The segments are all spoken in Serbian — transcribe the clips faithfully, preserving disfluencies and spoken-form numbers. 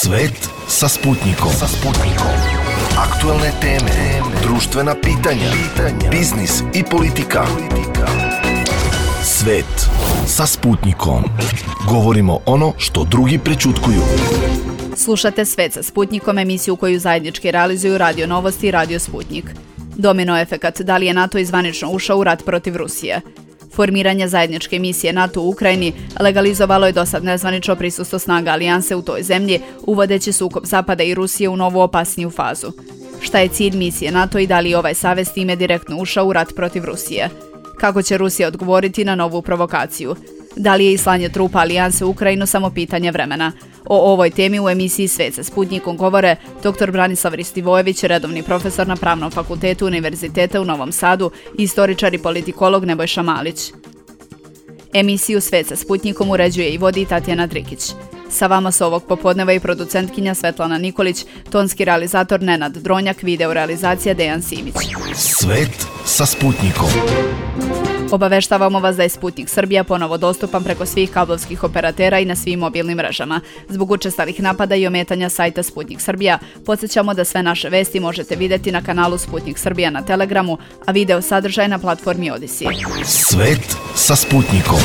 Svet sa Sputnikom. Sa Sputnikom. Aktuelne teme, društvena pitanja, pitanja, biznis i politika. Svet sa Sputnikom. Govorimo ono što drugi prećutkuju. Slušate Svet sa Sputnikom, emisiju koju zajednički realizuju Radio Novosti i Radio Sputnik. Domino efekat, da li je NATO izvanično ušao u rat protiv Rusije? Formiranje zajedničke misije NATO u Ukrajini legalizovalo je dosad nezvanično prisustvo snaga alijanse u toj zemlji, uvodeći sukob Zapada i Rusije u novu opasniju fazu. Šta je cilj misije NATO i da li je ovaj savez time direktno ušao u rat protiv Rusije? Kako će Rusija odgovoriti na novu provokaciju? Da li je i slanje trupa alijanse u Ukrajinu samo pitanje vremena? O ovoj temi u emisiji Svet sa Sputnikom govore dr Branislav Ristivojević, redovni profesor na Pravnom fakultetu Univerziteta u Novom Sadu i istoričar i politikolog Nebojša Malić. Emisiju Svet sa Sputnikom uređuje i vodi Tatjana Drikić. Sa vama su ovog popodneva i producentkinja Svetlana Nikolić, tonski realizator Nenad Dronjak, video realizacija Dejan Simić. Svet sa Sputnikom. Obaveštavamo vas da je Sputnik Srbija ponovo dostupan preko svih kablovskih operatera i na svim mobilnim mrežama. Zbog učestalih napada i ometanja sajta Sputnik Srbija, podsjećamo da sve naše vesti možete vidjeti na kanalu Sputnik Srbija na Telegramu, a video sadržaj na platformi Odyssey. Svet sa Sputnikom.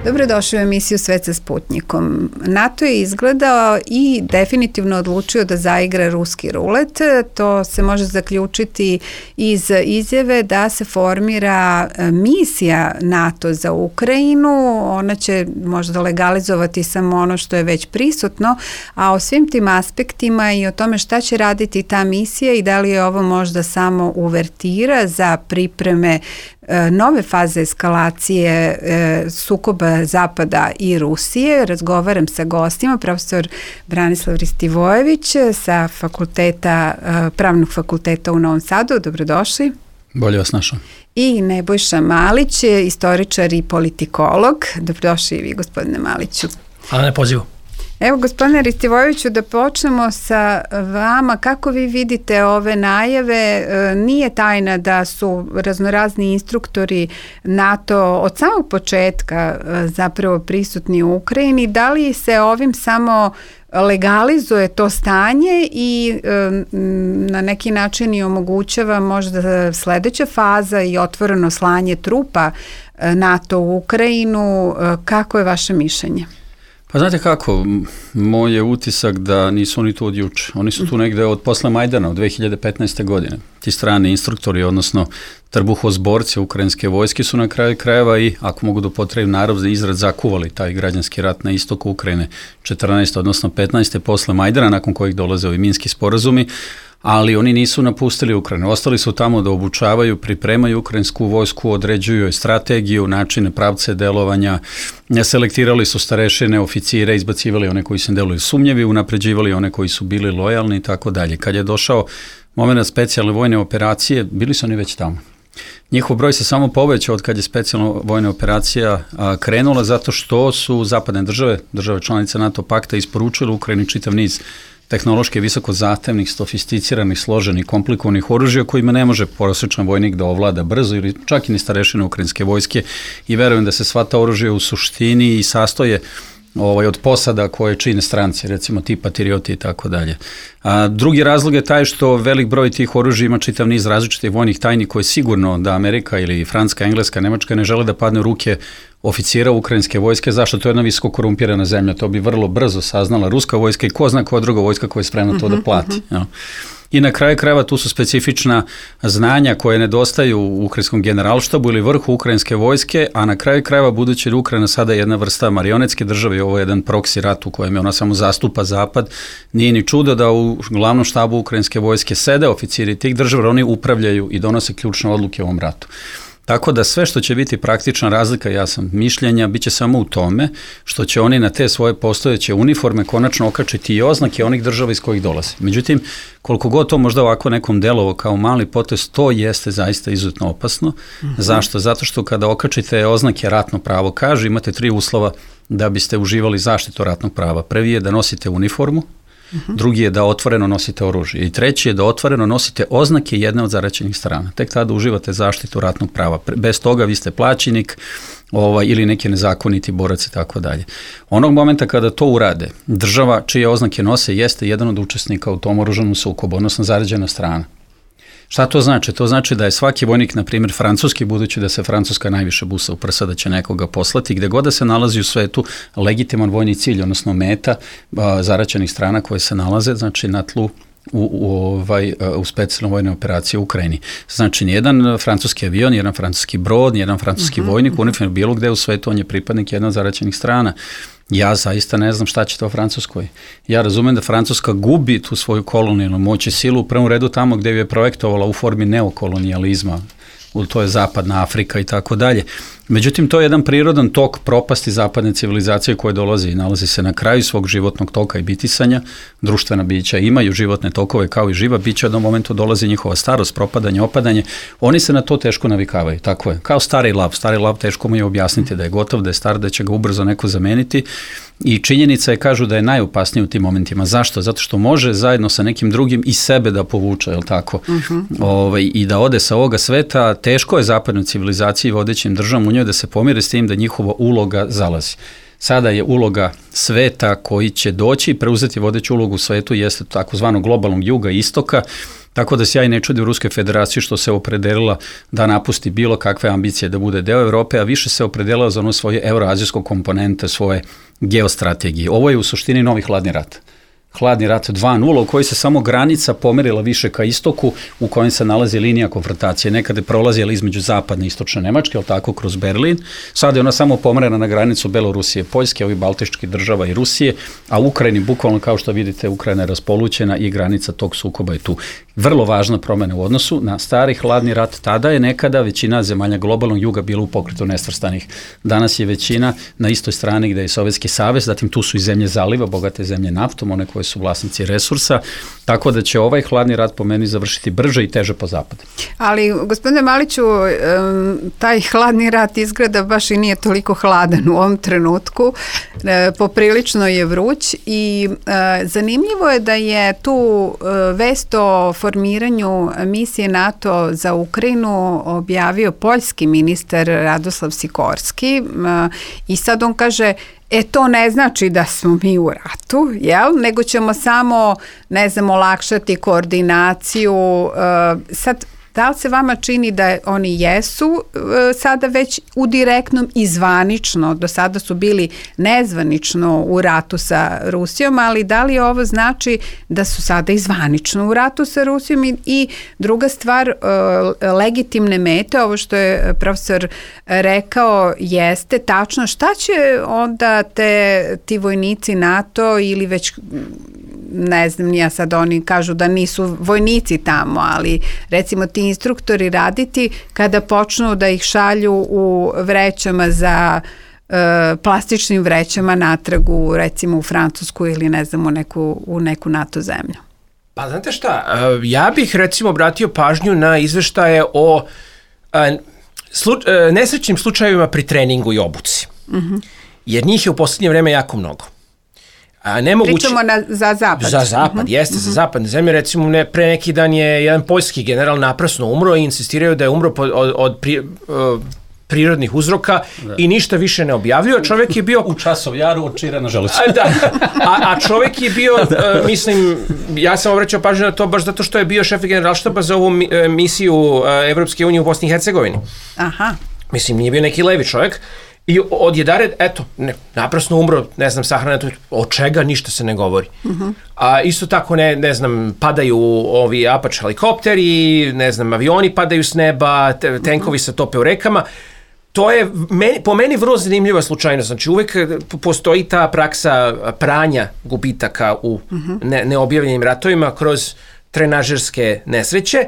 Dobrodošli u emisiju Svet sa Sputnikom. NATO je izgledao i definitivno odlučio da zaigra ruski rulet. To se može zaključiti iz izjave da se formira misija NATO za Ukrajinu. Ona će možda legalizovati samo ono što je već prisutno, a o svim tim aspektima i o tome šta će raditi ta misija i da li je ovo možda samo uvertira za pripreme nove faze eskalacije e, sukoba Zapada i Rusije. Razgovaram sa gostima, profesor Branislav Ristivojević sa fakulteta, Pravnog fakulteta u Novom Sadu. Dobrodošli. Bolje vas našao. I Nebojša Malić, istoričar i politikolog. Dobrodošli i vi, gospodine Maliću. Hvala na pozivu. Evo, gospodine Ristivojeviću, da počnemo sa vama. Kako vi vidite ove najave? Nije tajna da su raznorazni instruktori NATO od samog početka zapravo prisutni u Ukrajini. Da li se ovim samo legalizuje to stanje i na neki način i omogućava možda sledeća faza i otvoreno slanje trupa NATO u Ukrajinu? Kako je vaše mišljenje? Pa znate kako, moj je utisak da nisu oni tu od juče. Oni su tu negde od posle Majdana, od dve hiljade petnaeste. godine. Ti strani instruktori, odnosno trbuhozborci ukrajinske vojske su na kraju krajeva i, ako mogu da upotrebim narodni izraz, zakuvali taj građanski rat na istoku Ukrajine četrnaeste. odnosno petnaeste. posle Majdana, nakon kojih dolaze ovi minski sporazumi, ali oni nisu napustili Ukrajinu. Ostali su tamo da obučavaju, pripremaju ukrajinsku vojsku, određuju strategiju, načine, pravce delovanja, selektirali su starešine, oficire, izbacivali one koji se deluju sumnjevi, unapređivali one koji su bili lojalni i tako dalje. Kad je došao moment specijalne vojne operacije, bili su oni već tamo. Njihov broj se samo povećao od kad je specijalna vojna operacija a, krenula, zato što su zapadne države, države članice NATO pakta, isporučile Ukrajini čitav niz tehnološki visoko zahtevnih, sofisticiranih, složenih, komplikovanih oružja kojima ne može prosječan vojnik da ovlada brzo ili čak i ni starešine ukrajinske vojske, i verujem da se sva ta oružja u suštini i sastoje ovaj, od posada koje čine stranci, recimo ti patrioti i tako dalje. A drugi razlog je taj što velik broj tih oružja ima čitav niz različitih vojnih tajni koje sigurno da Amerika ili Francuska, Engleska, Nemačka ne žele da padne u ruke oficira ukrajinske vojske. Zašto? To je jedna visoko korumpirana zemlja. To bi vrlo brzo saznala ruska vojska i ko zna koja druga vojska koja je spremna to da plati. Uh-huh. I na kraju krajeva tu su specifična znanja koje nedostaju u ukrajinskom generalštabu ili vrhu ukrajinske vojske, a na kraju krajeva, budući da Ukrajina sada je jedna vrsta marionetske države i ovo je jedan proksi rat u kojem je ona samo zastupa zapad, nije ni čudo da u glavnom štabu ukrajinske vojske sede oficiri tih država, oni upravljaju i donose ključne odluke u ovom ratu. Tako da sve što će biti praktična razlika, ja sam mišljenja, bit će samo u tome što će oni na te svoje postojeće uniforme konačno okačiti i oznake onih država iz kojih dolaze. Međutim, koliko god to možda ovako nekom delovo kao mali potez, to jeste zaista izuzetno opasno. Mm-hmm. Zašto? Zato što kada okačite oznake ratno pravo kaže, imate tri uslova da biste uživali zaštitu ratnog prava. Prvi je da nosite uniformu, Uh-huh. Drugi je da otvoreno nosite oružje i treći je da otvoreno nosite oznake jedne od zaraćenih strana. Tek tada uživate zaštitu ratnog prava. Bez toga vi ste plaćenik, ovaj, ili neki nezakoniti borac i tako dalje. Onog momenta kada to urade, država čije oznake nose jeste jedan od učesnika u tom oružanom sukobu, odnosno zarađena strana. Šta to znači? To znači da je svaki vojnik, na primjer francuski, budući da se Francuska najviše busa u prsa da će nekoga poslati, gde god da se nalazi u svetu legitiman vojni cilj, odnosno meta a, zaraćenih strana koje se nalaze, znači na tlu u, u, ovaj, u specijalnoj vojnoj operaciji u Ukrajini. Znači, nijedan francuski avion, nijedan francuski brod, nijedan francuski uh-huh, vojnik, uh-huh. uniform bilo gde u svetu, on je pripadnik jedan zaraćenih strana. Ja zaista ne znam šta će to u Francuskoj. Ja razumem da Francuska gubi tu svoju kolonijalnu moć i silu u prvom redu tamo gde ju je projektovala u formi neokolonijalizma, to je zapadna Afrika i tako dalje. Međutim, to je jedan prirodan tok propasti zapadne civilizacije koje dolazi i nalazi se na kraju svog životnog toka i bitisanja. Društvena bića imaju životne tokove kao i živa bića, do momentu dolazi njihova starost, propadanje, opadanje. Oni se na to teško navikavaju, tako je. Kao stari lav. Stari lav teško mu je objasniti da je gotov, da je star, da će ga ubrzo neko zameniti. I činjenica je, kažu, da je najopasnije u tim momentima. Zašto? Zato što može zajedno sa nekim drugim i sebe da povuče, je li tako? Uh-huh. Ovaj, i da ode sa ovoga sveta. Teško je zapadnoj civilizaciji, vodećim državom u njoj, da se pomire s tim da njihova uloga zalazi. Sada je uloga sveta koji će doći i preuzeti vodeću ulogu u svetu jeste takozvanog globalnog juga i istoka, tako da se ja i ne čudim Ruskoj federaciji što se opredelila da napusti bilo kakve ambicije da bude deo Evrope, a više se opredelila za ono svoje euroazijsko komponente, svoje geostrategije. Ovo je u suštini novi hladni rat. Hladni rat dva nula u kojoj se samo granica pomerila više ka istoku, u kojem se nalazi linija konfrontacije. Nekada je prolazila između zapadne i istočne Nemačke, ali tako kroz Berlin. Sada je ona samo pomerena na granicu Belorusije, Poljske, ovih baltičkih država i Rusije, a u Ukrajini, bukvalno kao što vidite, Ukrajina je raspolućena i granica tog sukoba je tu. Vrlo važna promjena u odnosu na stari hladni rat. Tada je nekada većina zemalja globalnog juga bila u pokretu nesvrstanih. Danas je većina na istoj strani gde je Sovjetski savez, zatim tu su i zemlje zaliva, bogate zemlje naftom, one koje su vlasnici resursa, tako da će ovaj hladni rat po meni završiti brže i teže po zapadu. Ali, gospodine Maliću, taj hladni rat izgleda baš i nije toliko hladan u ovom trenutku, poprilično je vruć i zanimljivo je da je tu vest o formiranju misije NATO za Ukrajinu objavio poljski ministar Radoslav Sikorski i sad on kaže: E, to ne znači da smo mi u ratu, jel? Nego ćemo samo, ne znam, olakšati koordinaciju. Sad, da li se vama čini da oni jesu sada već u direktnom i zvanično, do sada su bili nezvanično u ratu sa Rusijom, ali da li ovo znači da su sada i zvanično u ratu sa Rusijom? I, i druga stvar, legitimne mete, ovo što je profesor rekao, jeste tačno. Šta će onda te, ti vojnici NATO ili već, ne znam, ja sad oni kažu da nisu vojnici tamo, ali recimo ti instruktori raditi kada počnu da ih šalju u vrećama za e, plastičnim vrećama natrag u, recimo u Francusku ili ne znam u neku, u neku NATO zemlju? Pa znate šta, ja bih recimo obratio pažnju na izveštaje o a, slu, a, nesrećnim slučajevima pri treningu i obuci. Uh-huh. Jer njih je u posljednje vreme jako mnogo. A nemoguće, pričamo na, za zapad. Za zapad, uh-huh. jeste, uh-huh. za zapadne zemlje. Recimo, ne, pre neki dan je jedan poljski general naprasno umro i insistiraju da je umro po, od, od pri, uh, prirodnih uzroka da. I ništa više ne objavljuje. Čovjek je bio... U Časov jaru od Čira na želucu. A, da, a, a čovjek je bio, uh, mislim, ja sam obraćao pažnju na to baš zato što je bio šef generalštaba za ovu mi, uh, misiju uh, Evropske unije u Bosni i Hercegovini. Aha. Mislim, nije bio neki levi čovjek. I odjedare, eto, ne, naprasno umro, ne znam, sahrana, od čega ništa se ne govori. Uh-huh. A isto tako, ne, ne znam, padaju ovi Apache helikopteri, ne znam, avioni padaju s neba, te, tenkovi se tope u rekama. To je meni, po meni vrlo zanimljiva slučajnost. Znači, uvek postoji ta praksa pranja gubitaka u uh-huh. ne, neobjavljenim ratovima kroz trenažerske nesreće.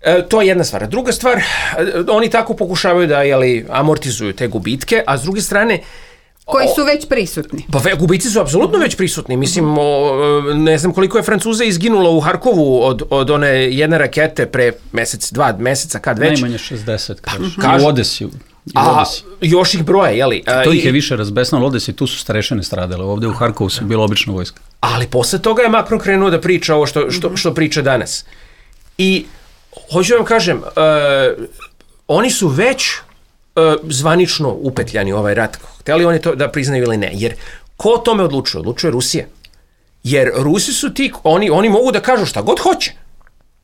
E, to je jedna stvar. Druga stvar, oni tako pokušavaju da jeli, amortizuju te gubitke, a s druge strane... Koji su već prisutni. Pa gubici su apsolutno već prisutni. Mislim, o, ne znam koliko je Francuza izginulo u Harkovu od, od one jedne rakete pre mesec, dva meseca, kad već. Najmanje šezdeset, kažu. Kažu. I u Odesi. A još ih broje, jeli? To ih je više razbesnalo, Odesi, tu su starešine stradale. Ovdje u Harkovu su bila obična vojska. Ali posle toga je Macron krenuo da priča ovo što, što, što priča danas. I... Hoću vam kažem, uh, oni su već zvanično upetljani u ovaj rat. Hteli oni to da priznaju ili ne. Jer ko o tome odlučuje? Odlučuje Rusija. Jer Rusi su ti, oni, oni mogu da kažu šta god hoće.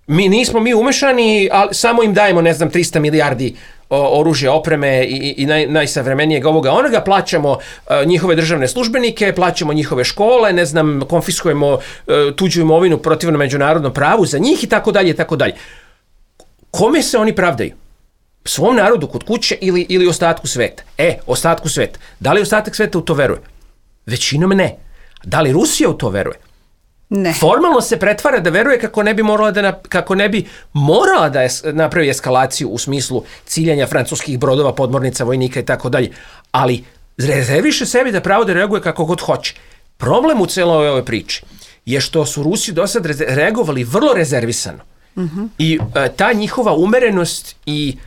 Mi nismo mi umešani, ali samo im dajemo, ne znam, trista milijardi o, oružja, opreme i, i naj, najsavremenijeg ovoga onoga, plaćamo uh, njihove državne službenike, plaćamo njihove škole, ne znam, konfiskujemo uh, tuđu imovinu protivno međunarodnom pravu za njih i tako dalje, tako dalje. Kome se oni pravdaju? Svom narodu kod kuće ili, ili ostatku sveta? E, ostatku sveta. Da li ostatak sveta u to veruje? Većinom ne. Da li Rusija u to veruje? Ne. Formalno se pretvara da veruje kako ne bi morala da, kako ne bi morala da es, napravi eskalaciju u smislu ciljanja francuskih brodova, podmornica, vojnika i tako dalje. Ali rezerviše sebi da pravo da reaguje kako god hoće. Problem u celoj ovoj priči je što su Rusi do sad reagovali vrlo rezervisano. Uh-huh. I e, ta njihova umerenost i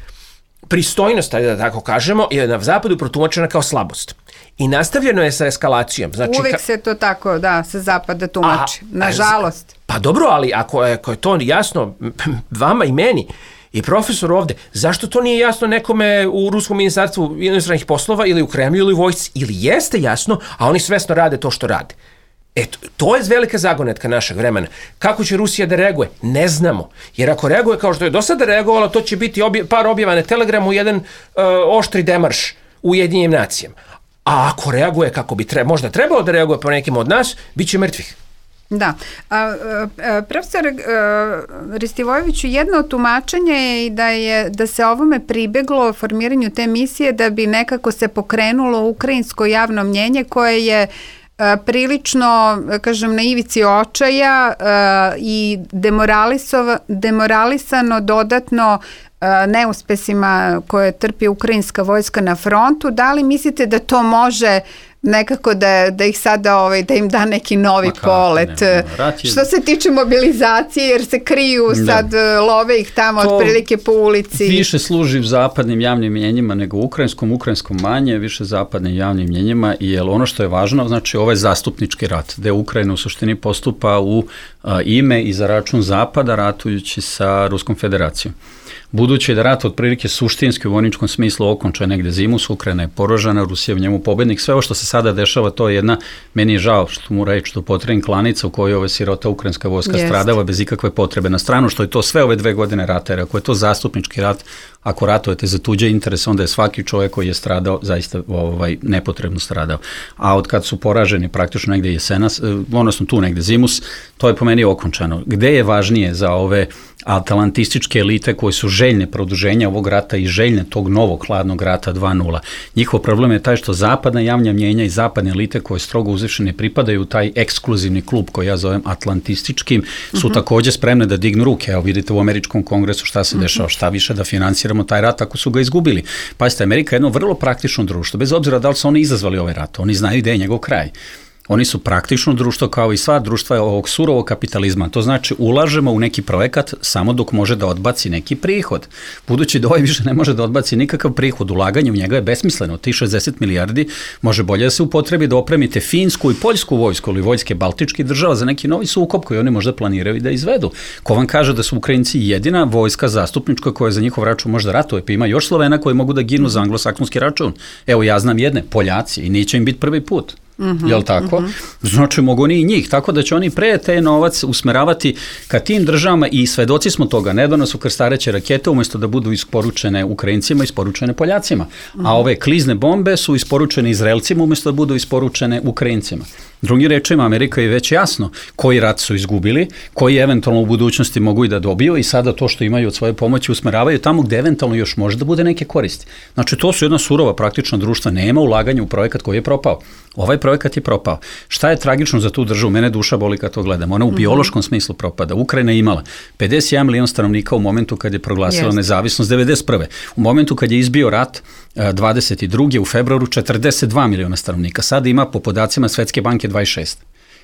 pristojnost, da tako kažemo, je na zapadu protumačena kao slabost. I nastavljeno je sa eskalacijom. Znači, uvek ka... se to tako, da, sa zapada tumači. A, nažalost. Pa dobro, ali ako je, ako je to jasno vama i meni i profesor ovde, zašto to nije jasno nekome u Ruskom ministarstvu inostranih poslova ili u Kremlju ili u vojsci? Ili jeste jasno, a oni svesno rade to što rade? Eto, to je velika zagonetka našeg vremena. Kako će Rusija da reaguje? Ne znamo. Jer ako reaguje kao što je do sada reagovala, to će biti obje, par objava na Telegramu, jedan uh, oštri demarš u Ujedinjenim nacijama. A ako reaguje kako bi tre, možda trebalo da reaguje po nekim od nas, bit će mrtvih. Da. A, a, profesor a, Ristivojeviću, jedno od tumačenja je i da, je, da se ovome pribeglo formiranju te misije da bi nekako se pokrenulo ukrajinsko javno mnjenje koje je a, prilično, kažem, na ivici očaja a, i demoralisano dodatno neuspesima koje trpi ukrajinska vojska na frontu. Da li mislite da to može nekako da, da ih sada ovaj, da im da neki novi Ma polet? Ne, je... Što se tiče mobilizacije, jer se kriju sad, da. Love ih tamo to otprilike po ulici. Više služi zapadnim javnim mjenjima nego ukrajinskom, ukrajinskom manje, više zapadnim javnim mjenjima, jer ono što je važno, znači ovaj zastupnički rat, gde Ukrajina u suštini postupa u a, ime i za račun zapada ratujući sa Ruskom federacijom. Budući da rat otprilike suštinski u vojničkom smislu okonča negde zimus, Ukrajina je poražena, Rusija je u njemu pobednik, sve ovo što se sada dešava, to je jedna, meni je žao što mu reći, što potrebim klanica u kojoj ova sirota ukrajinska vojska Jest. stradava bez ikakve potrebe na stranu, što je to sve ove dve godine rata, jer ako je to zastupnički rat, ako ratujete za tuđe interese, onda je svaki čovjek koji je stradao zaista ovaj, nepotrebno stradao. A od kad su poraženi praktično negde jesenas, odnosno tu negde zimus, to je po meni okončano. Gde je važnije za ove atlantističke elite koje su željne produženja ovog rata i željne tog novog hladnog rata dva nula. Njihov problem je taj što zapadna javna mnjenja i zapadne elite koje strogo uzviše ne pripadaju u taj ekskluzivni klub koji ja zovem atlantističkim, su uh-huh. također spremne da dignu ruke. Evo vidite u Američkom kongresu šta se uh-huh. dešava, šta više da finansiramo taj rat ako su ga izgubili. Pazite, Amerika je jedno vrlo praktično društvo, bez obzira da li su oni izazvali ovaj rat, oni znaju gde je njegov kraj. Oni su praktično društvo kao i sva društva ovog surovog kapitalizma. To znači ulažemo u neki projekat samo dok može da odbaci neki prihod. Budući da ovaj više ne može da odbaci nikakav prihod, ulaganje u njega je besmisleno. Ti šezdeset milijardi može bolje da se upotrebi da opremite finsku i poljsku vojsku ili vojske baltičkih država za neki novi sukob koji oni možda planiraju i da izvedu. Ko vam kaže da su Ukrajinci jedina vojska zastupnička koja za njihov račun može da ratuje, pa ima još Slovena koji mogu da ginu za anglosaksonski račun. Evo ja znam jedne, Poljaci, i neće im biti prvi put. Mm-hmm, jel tako? Mm-hmm. Znači mogu oni i njih, tako da će oni pre te novac usmeravati ka tim državama i svedoci smo toga. Nedavno su krstareće rakete umjesto da budu isporučene Ukrajincima, isporučene Poljacima. Mm-hmm. A ove klizne bombe su isporučene Izraelcima umjesto da budu isporučene Ukrajincima. Drugim rečima, Amerika je već jasno koji rat su izgubili, koji eventualno u budućnosti mogu i da dobiju i sada to što imaju od svoje pomoći usmeravaju tamo gde eventualno još može da bude neke koristi. Znači to su jedna surova praktično društva, nema ulaganja u projekat koji je propao. Ovaj projekat je propao. Šta je tragično za tu državu? Mene duša boli kad to gledam. Ona u biološkom smislu propada. Ukrajina je imala pedeset jedan milion stanovnika u momentu kad je proglasila yes. nezavisnost devedeset prve. U momentu kad je izbio rat dvadeset druge u februaru četrdeset dva miliona stanovnika. Sada ima po podacima Svetske banke dvadeset šest.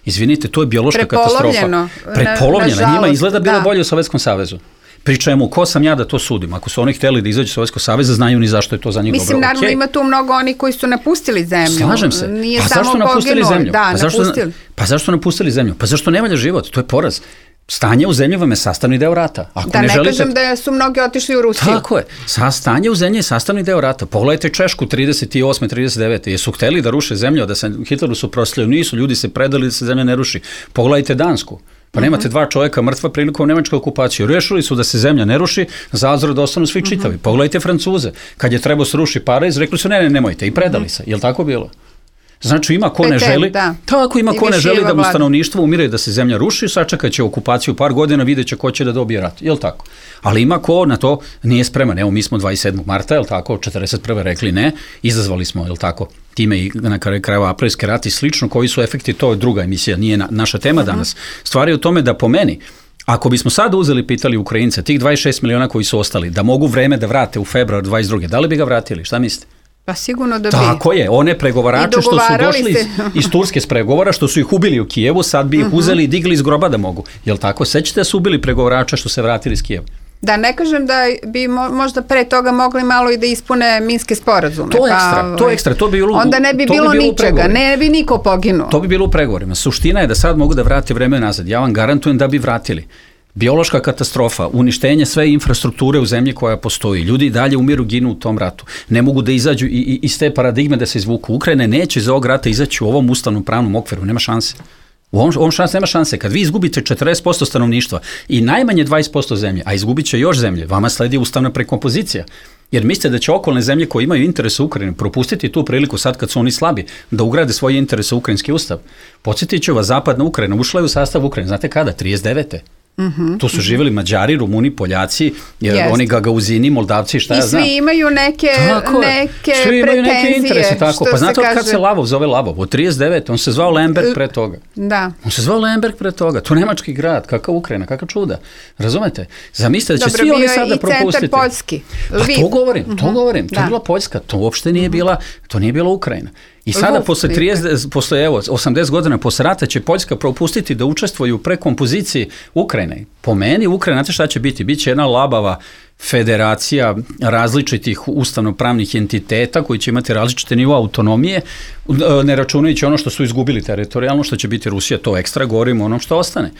Izvinite, to je biološka katastrofa. Prepolovljeno. Na, njima izgleda bilo da. bolje u Sovjetskom savezu. Pričajmo, ko sam ja da to sudim? Ako su oni htjeli da izađu Sovjetskog saveza, znaju ni zašto je to za njih dobro. Mislim, naravno, okay. ima tu mnogo oni koji su napustili zemlju. Slažem se. Nije pa samo zašto napustili poginuli. zemlju? Da, pa zašto, napustili. Pa zašto napustili zemlju? Pa zašto ne valja život? To je poraz. Stanje u zemlji vam je sastavni deo rata. Ako da ne, ne želite... kažem da su mnogi otišli u Rusiju. Tako je. Sa stanje u zemlji je sastavni deo rata. Pogledajte Češku trideset osme trideset devete Jesu hteli da ruše zemlju, da se Hitleru su proslijeli? Nisu, ljudi se predali da se zemlja ne ruši. Pogledajte Dansku. Pa nemate dva čovjeka mrtva prilikom nemačke okupacije. Rešili su da se zemlja ne ruši, za azor da ostanu svi čitavi. Mm-hmm. Pogledajte Francuze. Kad je trebao se ruši Pariz, rekli su ne, ne, nemojte i predali mm-hmm. se. Je li tako bilo? Znači ima ko ne želi, da. Tako ima ko ne želi da mu stanovništvo umire, da se zemlja ruši, sačekat će okupaciju par godina, vidjet će ko će da dobije rat, je li tako? Ali ima ko na to nije spreman. Evo mi smo dvadeset sedmog marta, je li tako, četrdeset prve rekli ne, izazvali smo, je li tako, time i na kraju aprilski rat i slično, koji su efekti, to je druga emisija, nije na, naša tema uh-huh. danas. Stvar je u tome da po meni, ako bismo sad uzeli, pitali Ukrajince, tih dvadeset šest miliona koji su ostali, da mogu vreme da vrate u februar dvadeset druge da li bi ga vratili, šta mislite? Pa sigurno da bi. Tako je, one pregovarače što su došli iz, iz Turske s pregovora, što su ih ubili u Kijevu, sad bi ih uh-huh. uzeli i digli iz groba da mogu. Jel tako? Sećate da su ubili pregovarača što se vratili iz Kijeva? Da, ne kažem da bi mo, možda pre toga mogli malo i da ispune minske sporazume. To je ekstra, pa, to je ekstra. To bi bilo, onda ne bi bilo, bi bilo ničega, ne bi niko poginuo. To bi bilo u pregovorima. Suština je da sad mogu da vrate vreme nazad. Ja vam garantujem da bi vratili. Biološka katastrofa, uništenje sve infrastrukture u zemlji koja postoji. Ljudi dalje umiru, ginu u tom ratu. Ne mogu da izađu i, i, iz te paradigme da se izvuku. Ukrajina neće iz ovog rata izaći u ovom ustavnom pravnom okviru. Nema šanse. U ovom, ovom šans nema šanse. Kad vi izgubite četrdeset posto stanovništva i najmanje dvadeset posto zemlje, a izgubit će još zemlje, vama sledi ustavna prekompozicija. Jer mislite da će okolne zemlje koje imaju interese u Ukrajini propustiti tu priliku sad kad su oni slabi, da ugrade svoje interese u ukrajinski ustav. Podsjetit ću vas, zapadna Ukrajina ušla je u sastav Ukrajine. Znate kada? trideset devete Mm-hmm, tu su mm-hmm. živjeli Mađari, Rumuni, Poljaci, yes. oni Gagauzini, Moldavci, šta I ja znam. I svi imaju neke, neke svi imaju neke interese, tako. Pa znate od kaže... kad se Lavov zove Lavov? Od trideset devete On se zvao Lemberg pre toga. Da. On se zvao Lemberg pre toga. To nemački grad, kakav Ukrajina, kakav čuda. Razumete? Zamislite da će Dobro, svi oni sada propustiti. Dobro, bio i centar Poljski. Pa to govorim, to mm-hmm. govorim. To da. je bila Poljska, to uopšte nije bila, to nije bila Ukrajina. I sada posle, trideset, posle evo, osamdeset godina posle rata će Poljska propustiti da učestvuju u prekompoziciji Ukrajine. Po meni Ukrajina, znate šta će biti? Biće jedna labava federacija različitih ustavnopravnih entiteta koji će imati različite nivo autonomije, ne računajući ono što su izgubili teritorijalno, što će biti Rusija, to ekstra, govorimo ono što ostane.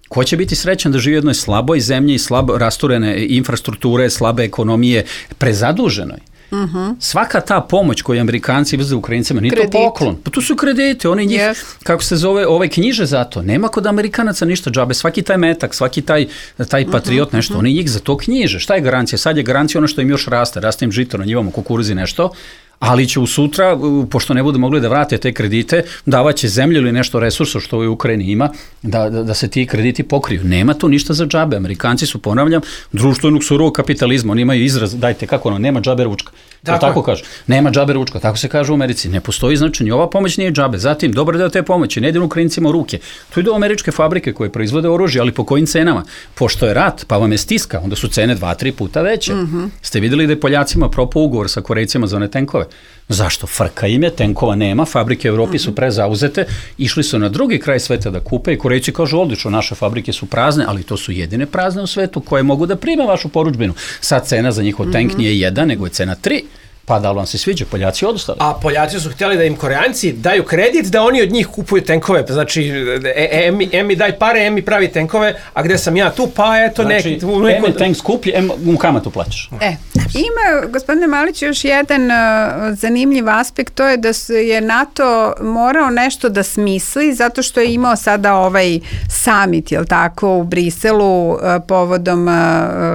Ko će biti srećan da živi u jednoj slaboj zemlji, slabo rasturene infrastrukture, slabe ekonomije, prezaduženoj? Uh-huh. Svaka ta pomoć koju Amerikanci izveze Ukrajincima, nije to poklon. Pa tu su kredite, oni njih, yes. kako se zove, ovaj knjiže za to. Nema kod Amerikanaca ništa džabe. Svaki taj metak, svaki taj, taj patriot, nešto, uh-huh. oni njih za to knjiže. Šta je garancija? Sad je garancija ono što im još raste. Raste im žito na njivama, kukuruzi, nešto. Ali će u sutra, pošto ne budu mogli da vrate te kredite, davaće zemlju ili nešto resursa što u Ukrajini ima, da, da, da se ti krediti pokriju. Nema tu ništa za džabe. Amerikanci su, ponavljam, društvenog surovog kapitalizma. Oni imaju izraz, dajte kako ono, nema džabe ručka. Tako, tako kažu. Nema džabe ručka, tako se kaže u Americi. Ne postoji značenje. Ova pomoć nije džabe. Zatim, dobar deo te pomoći ne ide Ukrajincima u ruke. Tu idu američke fabrike koje proizvode oružje, ali po kojim cenama? Pošto je rat, pa vam je stiska, onda su cene dva, tri puta veće. Mm-hmm. Ste vidjeli da je Poljacima propao ugovor sa Korejcima za one tenkove? Zašto? Frka im je, tenkova nema, fabrike u Evropi su prezauzete, išli su na drugi kraj sveta da kupe i Korejci kažu odlično, naše fabrike su prazne, ali to su jedine prazne u svetu koje mogu da prime vašu porudžbinu. Sad cena za njihov tank nije jedan, nego je cena tri. Pa da li vam se sviđa? Poljaci odustali. A Poljaci su htjeli da im Koreanci daju kredit da oni od njih kupuju tenkove. Znači, em, em mi daj pare, em mi pravi tenkove, a gde sam ja tu, pa eto znači, neki... Znači, em je tank skuplji, em mu kamatu plaćaš. E, ima, gospodine Malić, još jedan uh, zanimljiv aspekt, to je da je NATO morao nešto da smisli, zato što je imao sada ovaj summit, jel tako, u Briselu uh, povodom uh,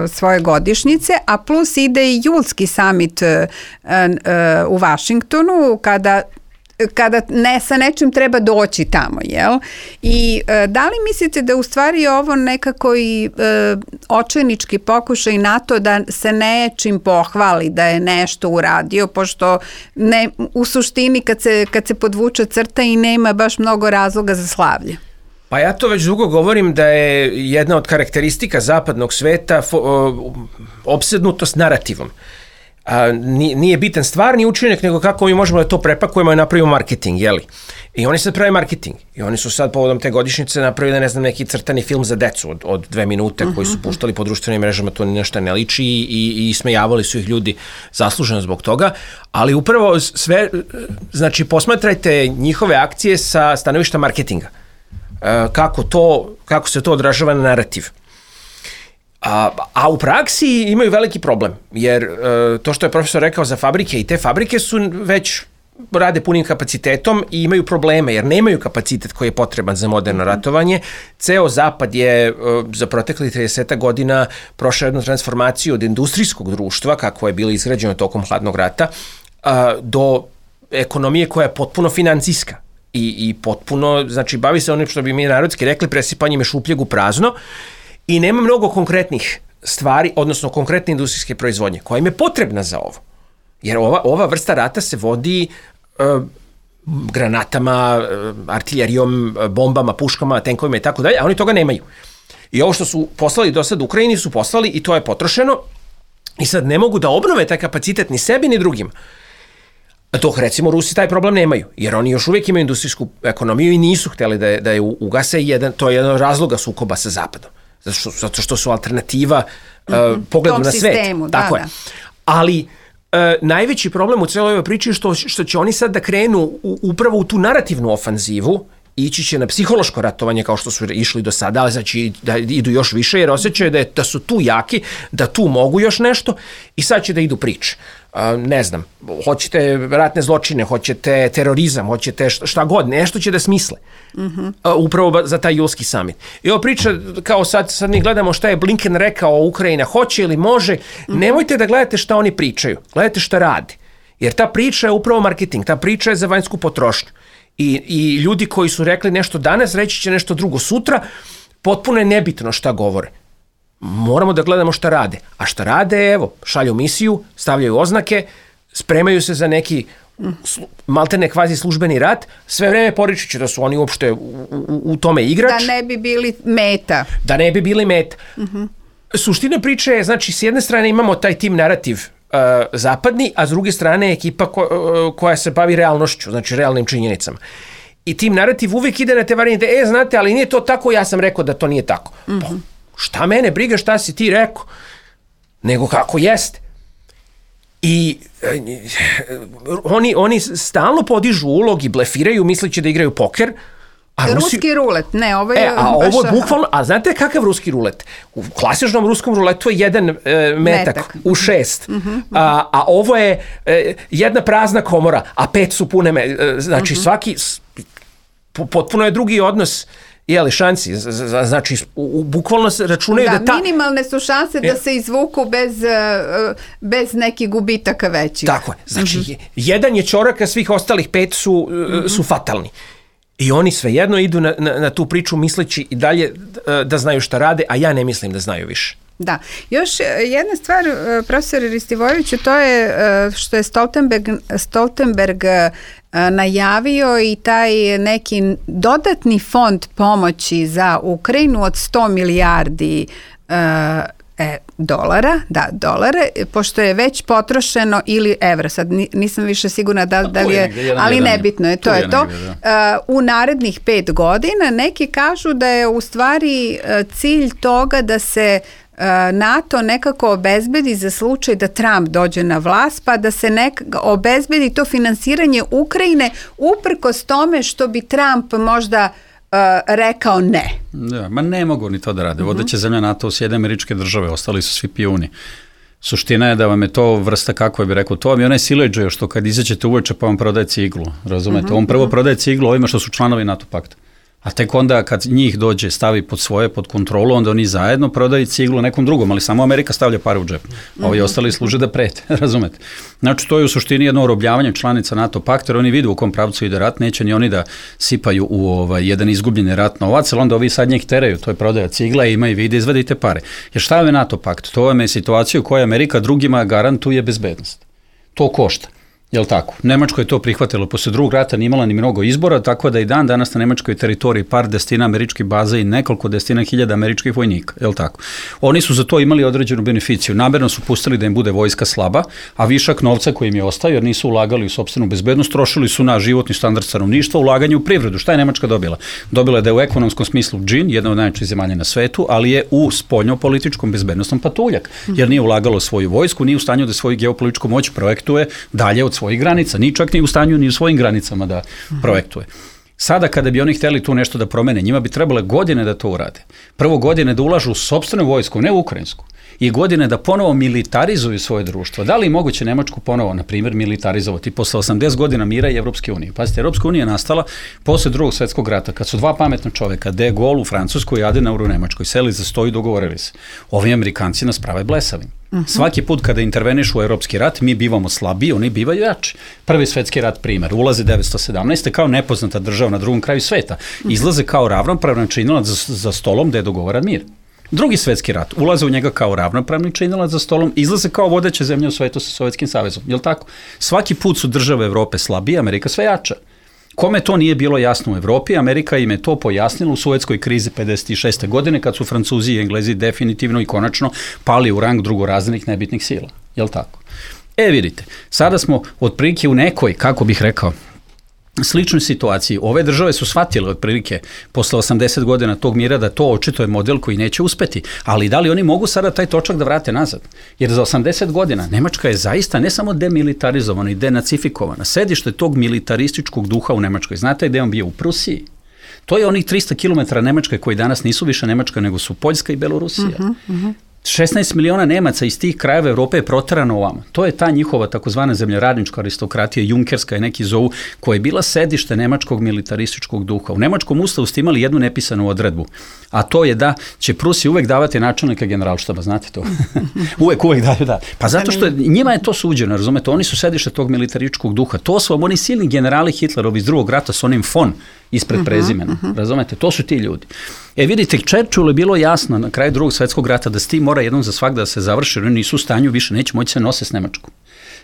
svoje godišnjice, a plus ide i julski summit uh, u Vašingtonu kada kada ne, sa nečim treba doći tamo, jel? I e, da li mislite da u stvari ovo nekako i e, očajnički pokušaj NATO da se nečim pohvali da je nešto uradio, pošto ne, u suštini kad se, kad se podvuče crta i nema baš mnogo razloga za slavlje? Pa ja to već dugo govorim da je jedna od karakteristika zapadnog sveta fo, o, opsednutost narativom. A, nije bitan stvarni učinak, nego kako mi možemo da to prepakujemo i napravimo marketing, jeli? I oni sad prave marketing. I oni su sad povodom te godišnjice napravili, ne znam, neki crtani film za decu od, od dve minute koji su puštali po društvenim mrežama, to nešto ne liči i, i, i smejavali su ih ljudi zasluženo zbog toga. Ali upravo sve, znači posmatrajte njihove akcije sa stanovišta marketinga. kako, to, kako se to odražava na narativ. A, a u praksi imaju veliki problem, jer to što je profesor rekao za fabrike, i te fabrike su već rade punim kapacitetom i imaju probleme, jer nemaju kapacitet koji je potreban za moderno ratovanje. Ceo zapad je za proteklih trideset godina prošao jednu transformaciju od industrijskog društva, kako je bilo izgrađeno tokom hladnog rata, do ekonomije koja je potpuno financijska i, i potpuno, znači bavi se onim što bi mi narodski rekli presipanjem šupljeg u prazno i nema mnogo konkretnih stvari, odnosno konkretne industrijske proizvodnje koja im je potrebna za ovo. Jer ova, ova vrsta rata se vodi uh, granatama, uh, artiljerijom, bombama, puškama, tenkovima i tako dalje, a oni toga nemaju. I ovo što su poslali do sad Ukrajini su poslali i to je potrošeno i sad ne mogu da obnove taj kapacitet ni sebi ni drugima. Dok recimo Rusi taj problem nemaju, jer oni još uvijek imaju industrijsku ekonomiju i nisu hteli da je, da je ugase, jedan, to je jedan od razloga sukoba sa Zapadom. Zato što, zato što su alternativa uh, pogledu na svet. Sistemu, tako da, je. Ali uh, najveći problem u cijeloj ovoj priči je što, što će oni sad da krenu u, upravo u tu narativnu ofanzivu, ići će na psihološko ratovanje kao što su išli do sada, ali znači da idu još više jer osjećaju da, je, da su tu jaki, da tu mogu još nešto i sad će da idu priče. Uh, ne znam, hoćete ratne zločine, hoćete terorizam, hoćete šta god, nešto će da smisle. Mm-hmm. Uh, upravo za taj julski summit. I ova priča, kao sad, sad mi gledamo šta je Blinken rekao o Ukrajina, hoće ili može, mm-hmm. nemojte da gledate šta oni pričaju, gledajte šta rade. Jer ta priča je upravo marketing, ta priča je za vanjsku potrošnju. I, i ljudi koji su rekli nešto danas, reći će nešto drugo sutra, potpuno je nebitno šta govore. Moramo da gledamo šta rade. A šta rade, evo, šalju misiju, stavljaju oznake, spremaju se za neki slu, maltene kvazi službeni rat, sve vreme poričući da su oni uopšte u, u, u tome igrač. Da ne bi bili meta. Da ne bi bili meta. Uh-huh. Suština priče je, znači, s jedne strane imamo taj tim narativ uh, zapadni, a s druge strane ekipa ko, uh, koja se bavi realnošću, znači realnim činjenicama. I tim narativ uvijek ide na te varijante, e, znate, ali nije to tako, ja sam rekao da to nije tako. Uh-huh. Pa, šta mene briga šta si ti rekao, nego kako jeste. I e, oni, oni stalno podižu ulog i blefiraju, misleći da igraju poker. A ruski Rusi... rulet, ne, ovo je... E, a ovo je bukvalno, a znate kakav ruski rulet? U klasičnom ruskom ruletu je jedan e, metak, metak u šest, uh-huh, uh-huh. A, a ovo je e, jedna prazna komora, a pet su pune, me, e, znači uh-huh. svaki, potpuno je drugi odnos. Jeli, šansi, znači u, bukvalno se računaju da, da ta... minimalne su šanse da se izvuku bez, bez nekih gubitaka većih. Tako je, znači uh-huh. jedan je ćorak, a svih ostalih pet su, uh-huh. su fatalni. I oni svejedno idu na, na, na tu priču misleći i dalje da znaju šta rade, a ja ne mislim da znaju više. Da. Još jedna stvar, profesor Ristivojeviću, to je što je Stoltenberg, Stoltenberg najavio i taj neki dodatni fond pomoći za Ukrajinu od sto milijardi e, dolara, da, dolare, pošto je već potrošeno ili evra, sad nisam više sigurna da, da li je, je jedan, ali jedan, nebitno je, to je, je to. Negdje, uh, u narednih pet godina neki kažu da je u stvari cilj toga da se NATO nekako obezbedi za slučaj da Trump dođe na vlast, pa da se nek obezbedi to finansiranje Ukrajine uprkos tome što bi Trump možda uh, rekao ne. Da, ma ne mogu ni to da rade. Uh-huh. Vodeća zemlja NATO u Sjedinjene Američke Države, ostali su svi pijuni. Suština je da vam je to vrsta, kako je bi rekao, to vam je onaj sileđe što kad izađete uveče pa vam prodaje ciglu, razumete? Uh-huh. On prvo prodaje ciglu ovima što su članovi NATO pakta. A tek onda kad njih dođe, stavi pod svoje, pod kontrolu, onda oni zajedno prodaju ciglu nekom drugom, ali samo Amerika stavlja pare u džep. Ovi ostali služe da prete, razumete? Znači, to je u suštini jedno orobljavanje članica NATO pakta, jer oni vidu u kom pravcu ide rat, neće ni oni da sipaju u ovaj, jedan izgubljeni rat novac, ali onda ovi sad njih teraju, to je prodaja cigla, ima i vide, izvadite pare. Jer šta je NATO pakt? To vam je situacija u kojoj Amerika drugima garantuje bezbednost. To košta. Jel tako? Nemačko je to prihvatilo posle drugog rata, nije imala ni mnogo izbora, tako da i dan danas na nemačkoj teritoriji par desetina američkih baza i nekoliko desetina hiljada američkih vojnika, jel tako? Oni su za to imali određenu beneficiju, namerno su pustili da im bude vojska slaba, a višak novca koji im je ostao, jer nisu ulagali u sopstvenu bezbednost, trošili su na životni standard stanovništva, ulaganje u privredu. Šta je Nemačka dobila? Dobila je da je u ekonomskom smislu džin, jedna od najjačih zemalja na svetu, ali je u spoljnopolitičkom bezbednostnom patuljak, jer nije ulagalo svoju vojsku, nije u stanju da svoju geopolitičku moć projektuje dalje od svojih granica, ni čak ni u stanju ni u svojim granicama da projektuje. Sada kada bi oni htjeli tu nešto da promene, njima bi trebale godine da to urade. Prvo godine da ulažu u sopstvenu vojsku, ne u ukrajinsku. I godine da ponovo militarizuju svoje društvo. Da li je moguće Nemačku ponovo, na primjer, militarizovati posle osamdeset godina mira i Evropske unije? Pazite, Evropska unija je nastala posle drugog svjetskog rata, kad su dva pametna čoveka, de Gaulle u Francuskoj i Adenauer u Nemačkoj, seli za sto i dogovorili se. Ovi Amerikanci nas prave blesavim. Uh-huh. Svaki put kada intervenišu u Evropski rat, mi bivamo slabiji, oni bivaju jači. Prvi svetski rat primer, ulaze devetsto sedamnaeste kao nepoznata država na drugom kraju sveta. Izlaze kao ravnopravan činilac za, za stolom da je dogovoran mir. Drugi svetski rat, ulaze u njega kao ravnopravni činilac za stolom, izlaze kao vodeća zemlja u svetu sa Sovjetskim savezom. Jel tako? Svaki put su države Evrope slabije, Amerika sve jača. Kome to nije bilo jasno u Evropi, Amerika im je to pojasnila u Sovjetskoj krizi pedeset šeste godine, kad su Francuzi i Englezi definitivno i konačno pali u rang drugorazrednih nebitnih sila. Jel tako? E vidite, sada smo otprilike u nekoj, kako bih rekao, sličnoj situaciji. Ove države su shvatile otprilike posle osamdeset godina tog mira da to očito je model koji neće uspeti, ali da li oni mogu sada taj točak da vrate nazad? Jer za osamdeset godina Nemačka je zaista ne samo demilitarizovana i denacifikovana. Sedište tog militarističkog duha u Nemačkoj. Znate gde on bio? U Prusiji. To je onih trista kilometara Nemačke koji danas nisu više Nemačka nego su Poljska i Belorusija. Uh-huh, uh-huh. šesnaest miliona Nemaca iz tih krajeva Evrope je proterano ovamo. To je ta njihova takozvana zemljoradnička aristokratija, junkerska je neki zovu, koja je bila sedište nemačkog militarističkog duha. U nemačkom ustavu ste imali jednu nepisanu odredbu, a to je da će Prusi uvek davati načelnika generalštaba, znate to? uvek, uvek daju, da. Pa zato što je, njima je to suđeno, razumete, oni su sedište tog militarističkog duha. To su vam oni silni generali Hitlerovi iz drugog rata s onim fon ispred uh-huh, prezimena, uh-huh. razumete, to su ti ljudi. E vidite, Churchillu je bilo jasno na kraju drugog svjetskog rata da s tim mora jednom za svak da se završi, oni nisu u stanju više, neće moći se nose s Nemačkom.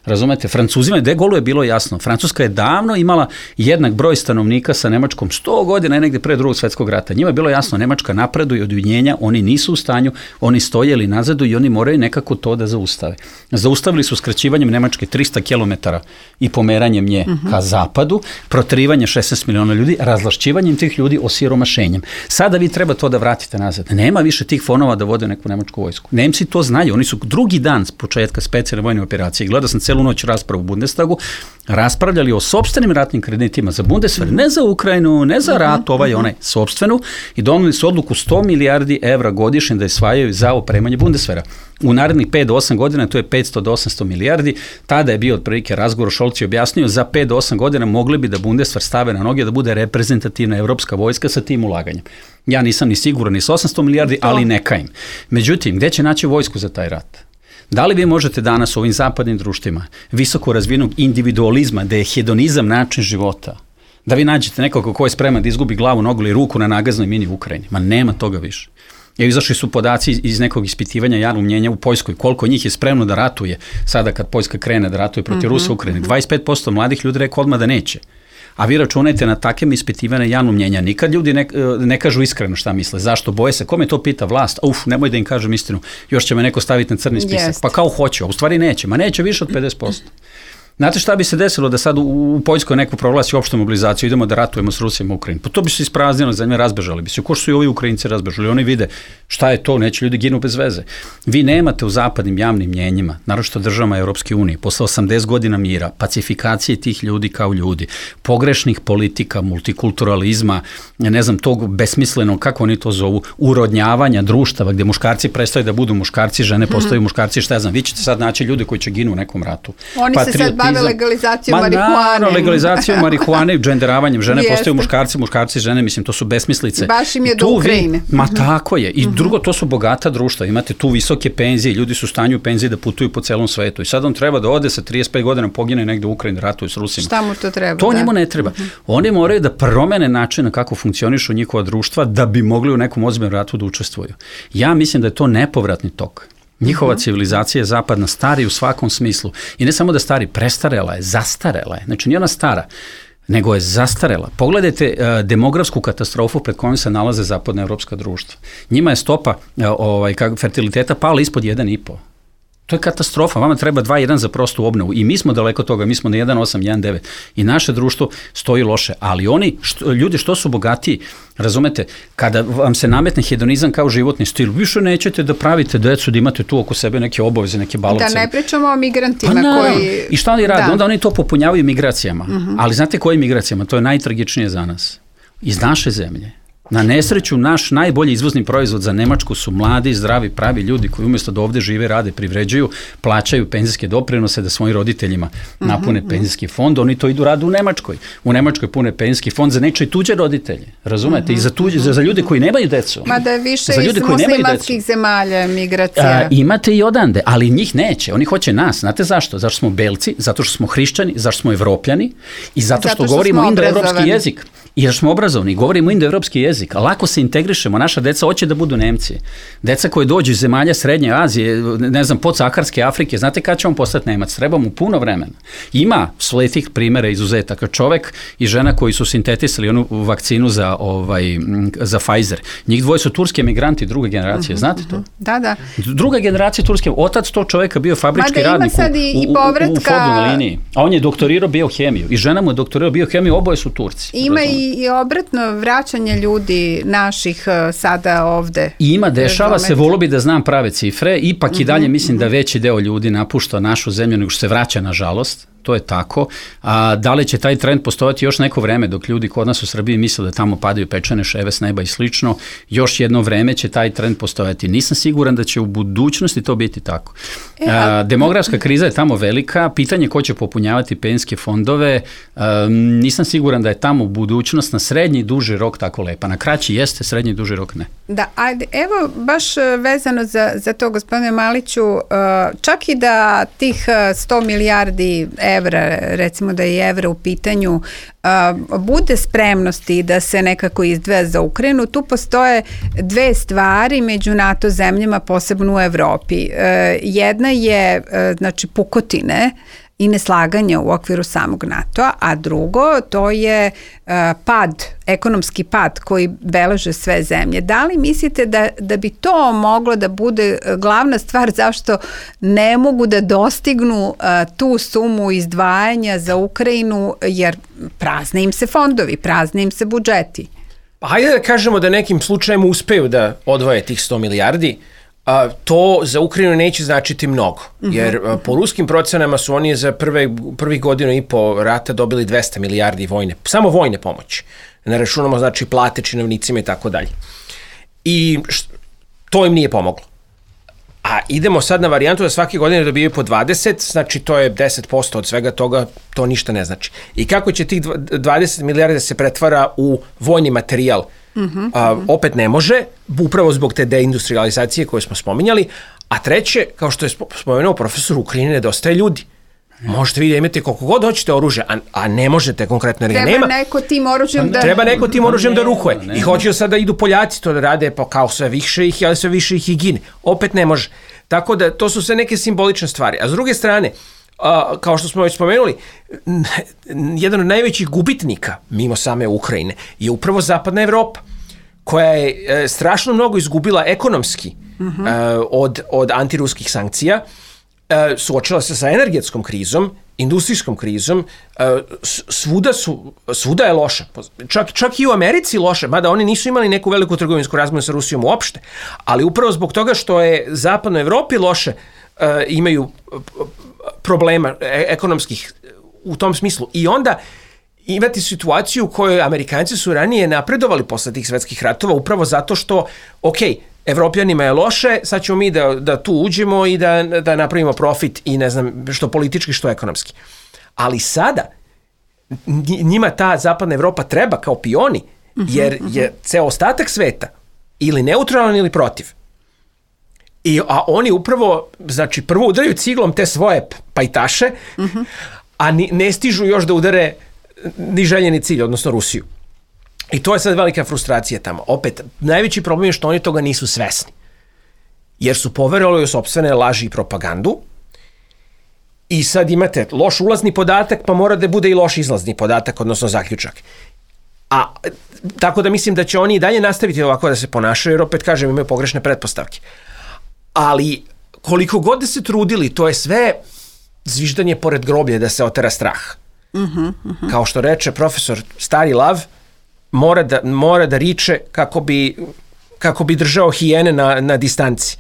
Razumete, Francuzima de Gaullu je bilo jasno. Francuska je davno imala jednak broj stanovnika sa Nemačkom, sto godina je negde pre drugog svjetskog rata. Njima je bilo jasno, Nemačka napreduje od ujedinjenja, oni nisu u stanju, oni stoje ili nazadu i oni moraju nekako to da zaustave. Zaustavili su skraćivanjem Nemačke trista kilometara i pomeranjem nje uh-huh. ka zapadu, proterivanje šesnaest miliona ljudi, razlašćivanjem tih ljudi, osiromašenjem. Sada vi treba to da vratite nazad. Nema više tih fonova da vode neku nemačku vojsku. Nemci to znaju, oni su drugi dan s početka specijalne vojne operacije. Gledao sam celu noć raspravu u Bundestagu, raspravljali o sopstvenim ratnim kreditima za Bundeswehr, ne za Ukrajinu, ne za rat, ovaj onaj, sopstvenu, i doneli su odluku sto milijardi evra godišnje da isvajaju za opremanje Bundeswehra. U narednih pet do osam godina to je petsto do osamsto milijardi, tada je bio otprilike razgovor, Scholz je objasnio, za pet do osam godina mogli bi da Bundeswehr stave na noge da bude reprezentativna evropska vojska sa tim ulaganjem. Ja nisam ni siguran ni s osamsto milijardi, ali neka im. Međutim, gde će naći vojsku za taj rat? Da li vi možete danas u ovim zapadnim društvima visoko razvijenog individualizma, da je hedonizam način života, da vi nađete nekoga ko je spreman da izgubi glavu, nogu ili ruku na nagaznoj mini u Ukrajini? Ma nema toga više. Evo, izašli su podaci iz nekog ispitivanja javnog mnjenja u Poljskoj, koliko njih je spremno da ratuje sada kad Poljska krene da ratuje protiv mm-hmm. Rusa u Ukrajini. dvadeset pet posto mladih ljudi rekao odmah da neće. A vi računajte na takve ispitivane javnog mnjenja. Nikad ljudi ne, ne kažu iskreno šta misle. Zašto? Boje se. Kome to pita? Vlast? Uf, nemoj da im kažem istinu. Još će me neko staviti na crni spisak. Jest. Pa kao hoće, a u stvari neće. Ma neće više od pedeset posto. Znate šta bi se desilo da sad u, u Poljskoj neko proglasi opštu mobilizaciju, idemo da ratujemo s Rusijama u Ukrajini? Pa to bi se ispraznilo, za njme razbežali bi se. Ko što su i ovi Ukrajinci razbežali? Oni vide šta je to, neće ljudi ginu bez veze. Vi nemate u zapadnim javnim mnjenjima, naročito državama Evropske unije, posle osamdeset godina mira, pacifikacije tih ljudi kao ljudi, pogrešnih politika, multikulturalizma, ne znam, tog besmislenog, kako oni to zovu, urodnjavanja društava, gde muškarci prestaju da budu muškarci, žene postaju muškarci, šta ja znam, vi ćete sad naći ljude koji će ginu u nekom ratu. Oni se sad bave legalizacijom Ma, marihuane. Ma legalizacijom marihuane i dženderavanjem. Žene postaju muškarci, muškarci žene, mislim, to su besmislice. Baš im je do Ukrajine. Vi, ma tako je. I uh-huh. drugo, to su bogata društva. Imate tu visoke penzije, ljudi su u stanju penzije da putuju po celom svetu. I sad on treba da ode sa trideset pet godina, pogine negde u Ukrajini, ratuju s Rusima. Šta mu to treba? To da? njemu ne treba. Uh-huh. Oni moraju da promene način na kako funkcionišu njihova društva da bi mogli u nekom ozbiljnom ratu da učestvuju. Ja mislim da je to nepovratni tok. Njihova uh-huh. civilizacija je zapadna, stari u svakom smislu. I ne samo da stari, prestarela je, zastarela je. Znači nije ona stara, nego je zastarela. Pogledajte uh, demografsku katastrofu pred kojom se nalaze zapadna evropska društva. Njima je stopa uh, ovaj, kak, fertiliteta pala ispod jedan i po. To je katastrofa, vama treba dva jedan za prostu obnovu i mi smo daleko toga, mi smo na jedan osam, jedan devet i naše društvo stoji loše, ali oni, što, ljudi što su bogatiji, razumete, kada vam se nametne hedonizam kao životni stil, više nećete da pravite decu, da imate tu oko sebe neke obaveze, neke balovce. Da ne pričamo o migrantima pa, koji... I šta oni rade? Da. Onda oni to popunjavaju migracijama, uh-huh. ali znate koje migracijama? To je najtragičnije za nas. iz naše zemlje. Na nesreću, naš najbolji izvozni proizvod za Nemačku su mladi, zdravi, pravi ljudi koji umjesto da ovdje žive, rade, privređuju, plaćaju penzijske doprinose da svojim roditeljima napune mm-hmm. penzijski fond, oni to idu rade u Nemačkoj. U Nemačkoj pune penzijski fond za nečije tuđe roditelje, razumete? Mm-hmm. I za, tuđe, za, za ljude koji nemaju decu. Ma da je više iz muslimanskih zemalja migracija. A, imate i odande, ali njih neće. Oni hoće nas. Znate zašto? Zato što smo belci, zato što smo hrišćani, zašto smo evropljani i zato što, zato što govorimo indoevropski jezik. I jer smo obrazovni, govorimo indoevropski jezik, a lako se integrišemo, naša deca hoće da budu Nemci. Deca koje dođu iz zemalja Srednje Azije, ne znam, podsaharske Afrike, znate kada će on postati Nemac? Treba mu puno vremena. Ima sletih primjera izuzetaka. Čovek i žena koji su sintetisali onu vakcinu za, ovaj, za Pfizer. Njih dvoje su turski emigranti druge generacije, znate to? Da, da. Druga generacija turske, otac to čoveka bio fabrički radnik u, i, u, u, u Fordu na liniji. A on je doktorirao biohemiju i žena mu je doktorirao biohemiju, oboje su Turci. Ima i i obratno vraćanje ljudi naših sada ovde. I ima, dešava se, volo bi da znam prave cifre, ipak uh-huh, i dalje mislim uh-huh. da veći deo ljudi napušta našu zemlju nego što se vraća, nažalost. To je tako. A da li će taj trend postojati još neko vreme dok ljudi kod nas u Srbiji misle da tamo padaju pečene ševe s neba i slično, još jedno vreme će taj trend postojati. Nisam siguran da će u budućnosti to biti tako. E, a... A, demografska kriza je tamo velika, pitanje ko će popunjavati penzijske fondove, a, nisam siguran da je tamo budućnost na srednji i duži rok tako lepa. Na kraći jeste, srednji i duži rok ne. Da, ajde, evo baš vezano za, za to, gospodine Maliću, čak i da tih sto milijardi evra, recimo da je evra u pitanju, a, bude spremnosti da se nekako izdvaja za Ukrajinu, tu postoje dve stvari među NATO zemljama, posebno u Evropi. E, jedna je e, znači pukotine i neslaganje u okviru samog NATO-a, a drugo to je uh, pad, ekonomski pad koji beleže sve zemlje. Da li mislite da, da bi to moglo da bude glavna stvar zašto ne mogu da dostignu uh, tu sumu izdvajanja za Ukrajinu, jer prazne im se fondovi, prazne im se budžeti? Pa hajde da kažemo da nekim slučajem uspeju da odvoje tih sto milijardi. A, to za Ukrajinu neće značiti mnogo, jer a, po ruskim procenama su oni za prve, prvih godinu i po rata dobili dvesta milijardi vojne, samo vojne pomoći. Ne računamo znači plate činovnicima i tako dalje. I št, to im nije pomoglo. A idemo sad na varijantu da svake godine dobijaju po dvadeset, znači to je deset posto od svega toga, to ništa ne znači. I kako će tih dvadeset milijardi se pretvara u vojni materijal? Uh-huh, a, uh-huh. Opet ne može, upravo zbog te deindustrializacije koje smo spominjali, a treće, kao što je spomenuo profesor, u Ukrajini nedostaje ljudi. Možete vi da imate koliko god hoćete oružja, a, a ne možete konkretno, jer ga nema. Treba neko tim oružjem da... Treba neko tim oružjem da rukuje. I hoće sada idu Poljaci to da rade, pa kao sve više ih, ali sve više ih i gine. Opet ne može. Tako da to su sve neke simbolične stvari. A s druge strane, a, kao što smo već spomenuli, jedan od najvećih gubitnika, mimo same Ukrajine, je upravo Zapadna Evropa, koja je e, strašno mnogo izgubila ekonomski uh-huh. e, od, od antiruskih sankcija, e, suočila se sa energetskom krizom, industrijskom krizom, e, svuda, su, svuda je loša. Čak, čak i u Americi loše, mada oni nisu imali neku veliku trgovinsku razmjenu sa Rusijom uopšte, ali upravo zbog toga što je Zapadnoj Evropi loše, e, imaju problema ekonomskih u tom smislu. I onda imati situaciju u kojoj Amerikanci su ranije napredovali posle tih svetskih ratova upravo zato što, ok, Evropljanima je loše, sad ćemo mi da, da tu uđemo i da, da napravimo profit i ne znam što politički, što ekonomski. Ali sada njima ta Zapadna Evropa treba kao pioni, jer je ceo ostatak sveta ili neutralan ili protiv. I, a oni upravo, znači, prvo udaraju ciglom te svoje pajtaše, uh-huh. a ni, ne stižu još da udare ni željeni cilj, odnosno Rusiju. I to je sad velika frustracija tamo. Opet, najveći problem je što oni toga nisu svesni. Jer su poverovali u sopstvene laži i propagandu. I sad imate loš ulazni podatak, pa mora da bude i loš izlazni podatak, odnosno zaključak. A tako da mislim da će oni i dalje nastaviti ovako da se ponašaju, jer opet kažem, imaju pogrešne pretpostavke. Ali koliko god da se trudili, to je sve zviždanje pored groblje da se otera strah. Uh-huh, uh-huh. Kao što reče profesor, stari lav mora da, mora da riče kako bi, kako bi držao hijene na, na distanci.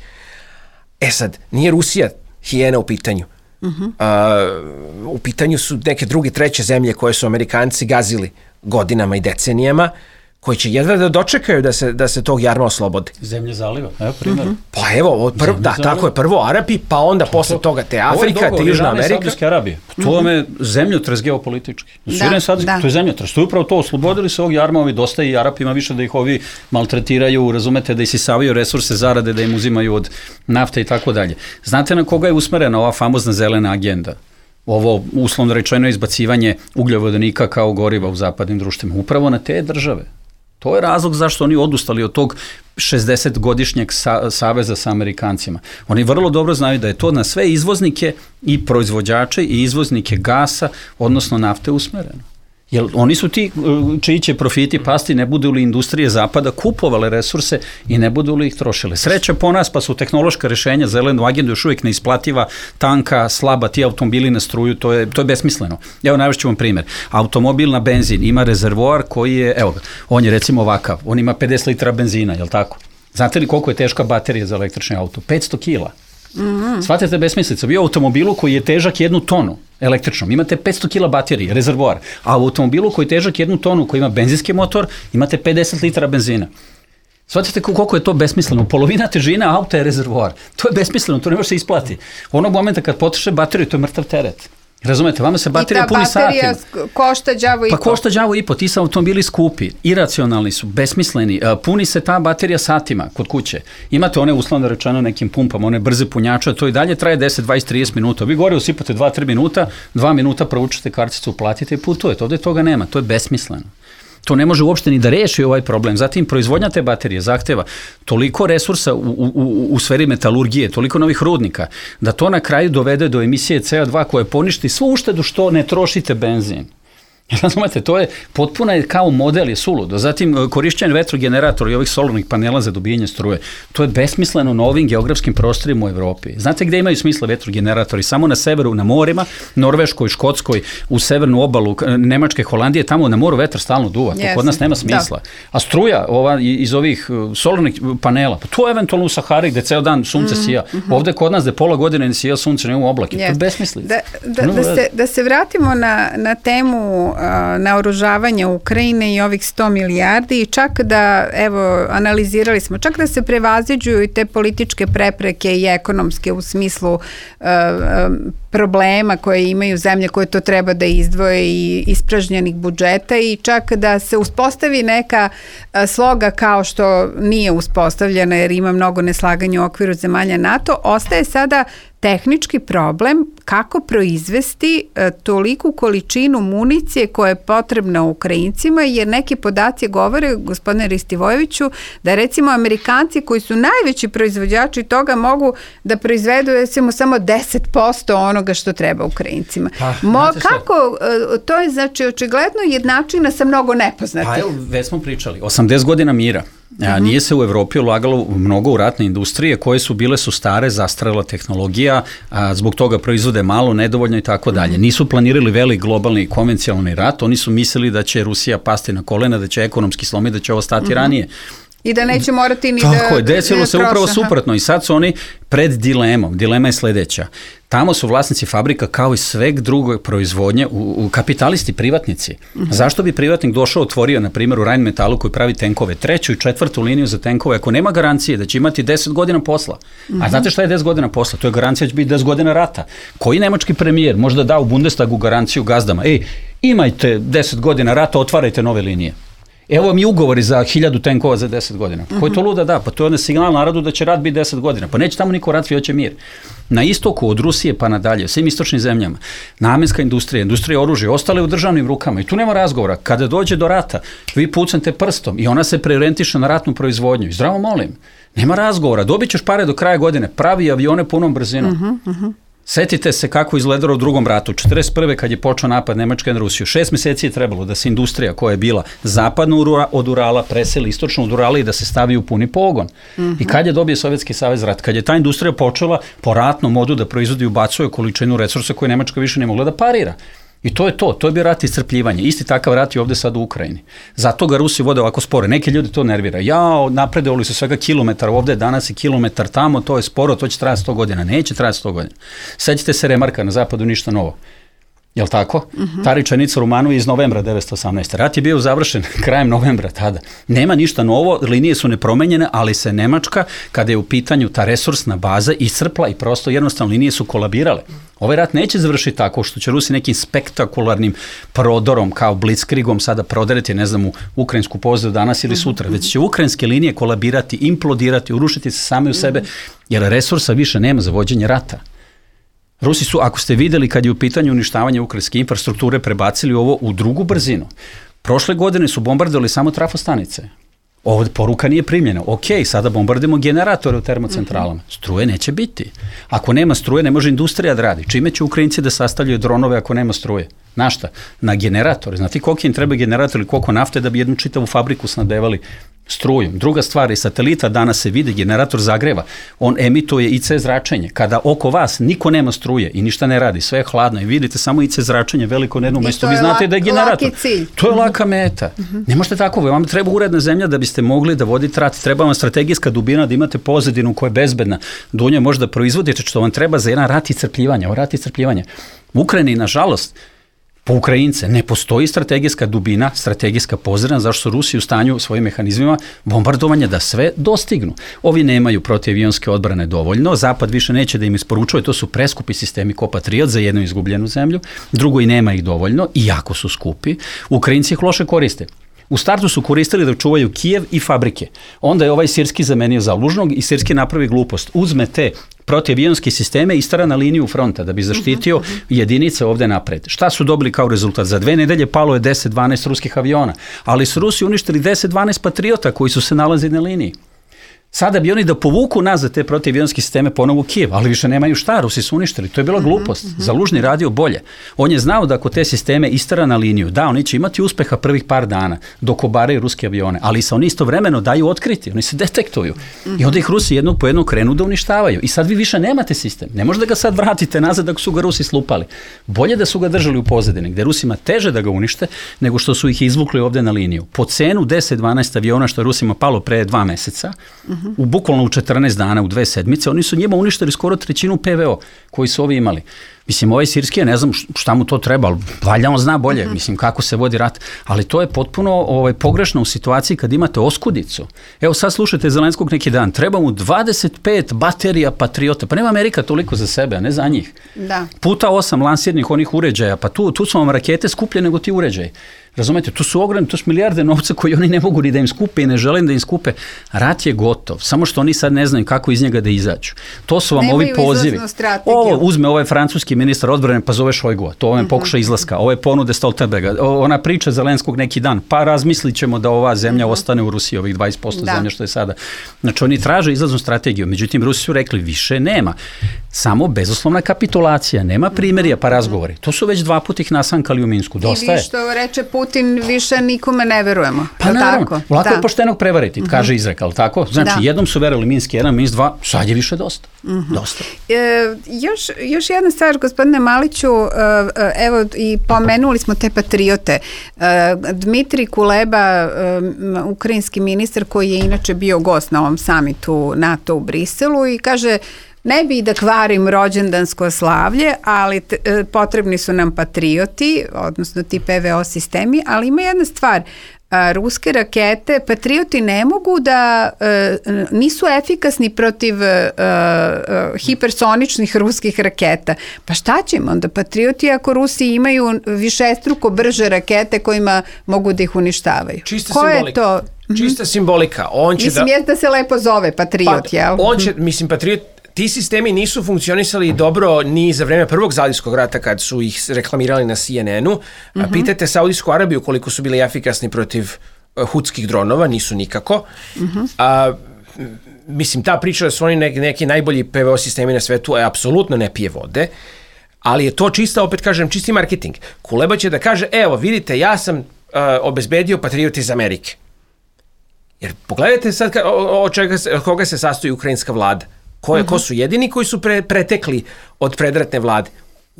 E sad, nije Rusija hijena u pitanju. Uh-huh. Uh, u pitanju su neke druge, treće zemlje koje su Amerikanci gazili godinama i decenijama, koji će jedva da dočekaju da se, da se tog jarma oslobodi. Zemlje zaliva, evo primjer. Mm-hmm. Pa evo, prv, da, zaliva. Tako je, prvo Arapi, pa onda to, posle toga te Afrika, te Južna Amerika. Saudijske Arabije. To mm-hmm. vam je zemljotres geopolitički. Da, da. To je zemljotres. To je upravo to, oslobodili se ovog jarma, ovi dosta i Arapima više da ih ovi maltretiraju, razumete, da isisavaju resurse zarade, da im uzimaju od nafte i tako dalje. Znate na koga je usmerena ova famozna zelena agenda? Ovo uslovno rečeno izbacivanje ugljovodonika kao goriva u zapadnim društvima. Upravo na te države. To je razlog zašto oni odustali od tog šezdesetgodišnjeg sa, saveza sa Amerikancima. Oni vrlo dobro znaju da je to na sve izvoznike i proizvođače i izvoznike gasa, odnosno nafte usmereno. Jer oni su ti čiji će profiti pasti, ne budu li industrije zapada kupovale resurse i ne budu li ih trošile. Sreća po nas, pa su tehnološka rešenja, zelenu agendu još uvijek neisplativa, tanka, slaba, ti automobili na struju, to je, to je besmisleno. Evo, navešću vam primjer. Automobil na benzin ima rezervoar koji je, evo, on je recimo ovakav, on ima pedeset litara benzina, je li tako? Znate li koliko je teška baterija za električni auto? petsto kila. Mm-hmm. Shvatite besmislicu, vi u automobilu koji je težak jednu tonu električnom, imate petsto kila baterije, rezervoar, a u automobilu koji je težak jednu tonu, koji ima benzinski motor, imate pedeset litara benzina. Shvatite koliko je to besmisleno, polovina težine auta je rezervoar, to je besmisleno, to ne može se isplati. Onog momenta kad potroše bateriju, to je mrtav teret. Razumete, vama se baterija puni satima. I ta baterija košta đavo i po. Pa košta đavo i po, ti su automobili skupi, iracionalni su, besmisleni, puni se ta baterija satima kod kuće. Imate one uslovno rečeno nekim pumpama, one brze punjače, to i dalje traje deset, dvadeset, trideset minuta. Vi gore usipate dva do tri minuta, dva minuta provučete karticu, platite i putujete. Ovdje toga nema, to je besmisleno. To ne može uopšte ni da reši ovaj problem. Zatim, proizvodnja te baterije zahteva toliko resursa u, u, u sferi metalurgije, toliko novih rudnika, da to na kraju dovede do emisije C O dva koje poništi svu uštedu što ne trošite benzin. Razumete, to je potpuno je kao model je suludo. Zatim, korišćenje vetrogeneratora i ovih solarnih panela za dobijanje struje. To je besmisleno na ovim geografskim prostorima u Evropi. Znate gde imaju smisla vetrogeneratori? Samo na severu, na morima, Norveškoj, Škotskoj, u severnu obalu Nemačke, Holandije, tamo na moru vetar stalno duva. To kod nas nema smisla. Da. A struja ova, iz ovih solarnih panela, pa to je eventualno u Sahari gde ceo dan sunce mm, sija. Mm-hmm. Ovde kod nas gde pola godine ne sija sunce, nema oblake. Yes. To je besmislica. Da, da, da, se, da se vratimo na, na temu naoružavanja Ukrajine i ovih sto milijardi i čak da, evo, analizirali smo, čak da se prevaziđuju i te političke prepreke i ekonomske u smislu uh, problema koje imaju zemlje koje to treba da izdvoje i ispražnjenih budžeta i čak da se uspostavi neka sloga kao što nije uspostavljena jer ima mnogo neslaganja u okviru zemalja NATO, ostaje sada tehnički problem kako proizvesti e, toliku količinu municije koja je potrebna Ukrajincima, jer neki podaci govore, gospodine Ristivojeviću, da recimo Amerikanci koji su najveći proizvođači toga mogu da proizvedu recimo samo deset posto onoga što treba Ukrajincima. Pa, Mo, kako, e, to je znači očigledno jednačina sa mnogo nepoznatih. Pa evo, već smo pričali, osamdeset godina mira. A, nije se u Evropi ulagalo mnogo u ratne industrije koje su bile su stare, zastarela tehnologija, a, zbog toga proizvode malo, nedovoljno i tako dalje. Nisu planirali velik globalni konvencionalni rat, oni su mislili da će Rusija pasti na kolena, da će ekonomski slomiti, da će ovo stati mm-hmm. ranije. I da neće morati ni Tako da... Tako je, desilo se upravo suprotno i sad su oni pred dilemom. Dilema je sledeća. Tamo su vlasnici fabrika kao i sveg drugog proizvodnje, u, u kapitalisti, privatnici. Uh-huh. Zašto bi privatnik došao, otvorio, na primjer, u Rheinmetallu koji pravi tenkove, treću i četvrtu liniju za tenkove, ako nema garancije da će imati deset godina posla. Uh-huh. A znate šta je deset godina posla? To je garancija da će biti deset godina rata. Koji nemački premijer možda da u Bundestagu garanciju gazdama? Ej, imajte deset godina rata, otvarajte nove linije. Evo mi ugovori za hiljadu tenkova za deset godina. Uh-huh. Koji to luda da? Pa to je onda signal narodu da će rat biti deset godina. Pa neće tamo niko rat, svi hoće mir. Na istoku, od Rusije pa nadalje, svim istočnim zemljama, namenska industrija, industrija oružja, ostale u državnim rukama i tu nema razgovora. Kada dođe do rata, vi pucnete prstom i ona se preorientiše na ratnu proizvodnju. I zdravo molim, nema razgovora, dobit ćeš pare do kraja godine, pravi avione punom brzinom. Uh-huh, uh-huh. Setite se kako izgledalo u drugom ratu, četrdeset prve kad je počeo napad Nemačke na Rusiju. Šest meseci je trebalo da se industrija koja je bila zapadno od Urala preseli istočno od Urala i da se stavi u puni pogon. Mm-hmm. I kad je dobio Sovjetski savez rat? Kad je ta industrija počela po ratnom modu da proizvodi i ubacuje količinu resursa koje Nemačka više ne mogla da parira. I to je to, to je bio rat iscrpljivanja. Isti takav rat je ovde sad u Ukrajini. Zato ga Rusi vode ovako spore. Neki ljudi to nervira. Ja, napredovali su svega kilometar ovde, danas je kilometar tamo, to je sporo, to će trajati sto godina. Neće trajati sto godina. Sećate se remarka, na zapadu ništa novo. Jel' tako? Uh-huh. Ta rečenica Romanovi iz novembra devetsto osamnaeste. Rat je bio završen krajem novembra tada. Nema ništa novo, linije su nepromenjene, ali se Nemačka, kada je u pitanju ta resursna baza, iscrpla i prosto jednostavno linije su kolabirale. Ovaj rat neće završiti tako što će Rusi nekim spektakularnim prodorom, kao blitzkriegom sada prodereti, ne znam, u ukrajinsku pozdrav danas ili sutra, već će ukrajinske linije kolabirati, implodirati, urušiti se same u sebe, jer resursa više nema za vođenje rata. Rusi su, ako ste videli kad je u pitanju uništavanje ukrajinske infrastrukture, prebacili ovo u drugu brzinu. Prošle godine su bombardovali samo trafostanice. Ovo poruka nije primljena. Ok, sada bombardujemo generatore u termocentralama. Struje neće biti. Ako nema struje, ne može industrija da radi. Čime će Ukrajinci da sastavljaju dronove ako nema struje? Na šta? Na generatore. Znate koliko im treba generator ili koliko nafte da bi jednu čitavu fabriku snadevali strujom. Druga stvar je satelita, danas se vidi, generator zagreva. On emituje I C zračenje. Kada oko vas niko nema struje i ništa ne radi, sve je hladno i vidite samo I C zračenje veliko na jednom mestu, vi znate da je generator. To je laka meta. Uh-huh. Ne možete tako, vam treba uredna zemlja da biste mogli da vodite rat. Treba vam strategijska dubina, da imate pozadinu koja je bezbedna, da u njoj možda proizvodite što vam treba za jedan rat i crpljivanje. Ovo rat i crpljivanje. U Ukrajini, nažalost, po Ukrajince ne postoji strategijska dubina, strategijska pozadina, zašto su Rusi u stanju svojim mehanizmima bombardovanja da sve dostignu. Ovi nemaju protivavionske odbrane dovoljno, Zapad više neće da im isporučuje, to su preskupi sistemi ko Patriot za jednu izgubljenu zemlju, drugo i nema ih dovoljno, i jako su skupi. Ukrajinci ih loše koriste. U startu su koristili da čuvaju Kijev i fabrike. Onda je ovaj Sirski zamenio za Lužnog i Sirski napravi glupost. Uzme te protivavionske sisteme i istara na liniju fronta da bi zaštitio uh-huh, uh-huh. jedinice ovde napred. Šta su dobili kao rezultat? Za dve nedelje palo je deset dvanaest ruskih aviona, ali su Rusi uništili deset dvanaest Patriota koji su se nalazili na liniji. Sada bi oni da povuku nazad te protivavionske sisteme ponovo u Kijev, ali više nemaju šta, Rusi su uništili. To je bila glupost. Mm-hmm. Za Lužni radio bolje. On je znao da ako te sisteme istara na liniju, da, oni će imati uspeha prvih par dana dok obaraju ruske avione, ali se oni istovremeno daju otkriti, oni se detektuju. Mm-hmm. I onda ih Rusi jednog po jednog krenu da uništavaju. I sad vi više nemate sistem. Ne možete ga sad vratite nazad ako su ga Rusi slupali. Bolje da su ga držali u pozadini, gde Rusima teže da ga unište nego što su ih izvukli ovde na liniju. Po cenu deset dvanaest aviona što je Rusima palo pre dva meseca, mm-hmm. u bukvalno u četrnaest dana, u dve sedmice, oni su njima uništili skoro trećinu P V O koji su ovi imali. Mislim, ovaj Sirski, ja ne znam šta mu to treba, ali valjda on zna bolje, uh-huh. mislim, kako se vodi rat, ali to je potpuno ovaj, pogrešno u situaciji kad imate oskudicu. Evo sad slušajte Zelenskog neki dan, treba mu dvadeset pet baterija Patriota, pa nema Amerika toliko za sebe, a ne za njih. Da. Puta osam lansirnih onih uređaja, pa tu, tu su vam rakete skuplje nego ti uređaji. Razumete, tu su ogromne, to su milijarde novca koji oni ne mogu ni da im skupe i ne žele da im skupe. Rat je gotov, samo što oni sad ne znaju kako iz njega da izađu. To su vam Nemaju ovi pozivi. Ovo uzme ovaj francuski ministar odbrane, pa zove Šojgua, to ovaj uh-huh. pokuša izlaska, ove ponude Stoltenberga, ona priča Zelenskog neki dan, pa razmislit ćemo da ova zemlja uh-huh. ostane u Rusiji, ovih dvadeset posto da. Zemlja što je sada. Znači oni traže izlaznu strategiju, međutim Rusi su rekli više nema, samo bezuslovna kapitulacija, nema primerija pa razgovori. To su već dva puta ih nasankali u Minsku, dosta je. I vi što reče Putin, više nikome ne verujemo. Pa naravno, tako? Lako da. Je poštenog prevariti, kaže Izrek, ali tako? Znači, da. Jednom su verovali Minsk jedan, Minsk dva, sad je više dosta. Uh-huh. Dosta. E, još, još jedna stvar, gospodine Maliću, evo i pomenuli smo te patriote. Dmitri Kuleba, ukrajinski ministar koji je inače bio gost na ovom samitu NATO u Briselu i kaže, ne bi da kvarim rođendansko slavlje, ali t, potrebni su nam patrioti, odnosno ti P V O sistemi, ali ima jedna stvar, a, ruske rakete, patrioti ne mogu da, a, nisu efikasni protiv a, a, hipersoničnih ruskih raketa. Pa šta će im onda patrioti ako Rusi imaju višestruko brže rakete kojima mogu da ih uništavaju? Čista Ko simbolika. Je to? Čista simbolika. On će mislim, da... je da se lepo zove patriot, pa, jel? On će, mislim, patriot, ti sistemi nisu funkcionisali dobro ni za vreme prvog Saudijskog rata kad su ih reklamirali na C N N-u. Uh-huh. Pitajte Saudijsku Arabiju koliko su bili efikasni protiv uh, hutskih dronova, nisu nikako. Uh-huh. A, mislim, ta priča da su oni neki, neki najbolji P V O sistemi na svetu je apsolutno ne pije vode, ali je to čista, opet kažem, čisti marketing. Kuleba će da kaže, evo, vidite, ja sam uh, obezbedio patriot iz Amerike. Jer pogledajte sad ka, o, o čega se, od koga se sastoji ukrajinska vlada. Ko, je, uh-huh. ko su jedini koji su pre, pretekli od predratne vlade?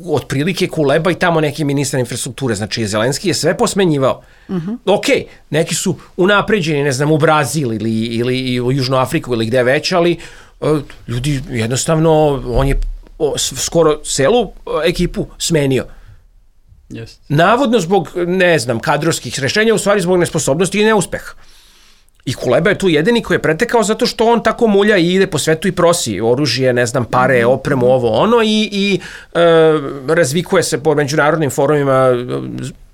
Otprilike Kuleba i tamo neki ministar infrastrukture. Znači, Zelenski je sve posmenjivao. Uh-huh. Ok, neki su unapređeni, ne znam, u Brazil ili, ili u Južnu Afriku ili gde već, ali uh, ljudi jednostavno, on je o, skoro celu ekipu smenio. Yes. Navodno zbog, ne znam, kadrovskih rešenja, u stvari zbog nesposobnosti i neuspeha. I Kuleba je tu jedini koji je pretekao zato što on tako mulja i ide po svetu i prosi oružje, ne znam, pare, opremu, ovo, ono i, i e, razvikuje se po međunarodnim forumima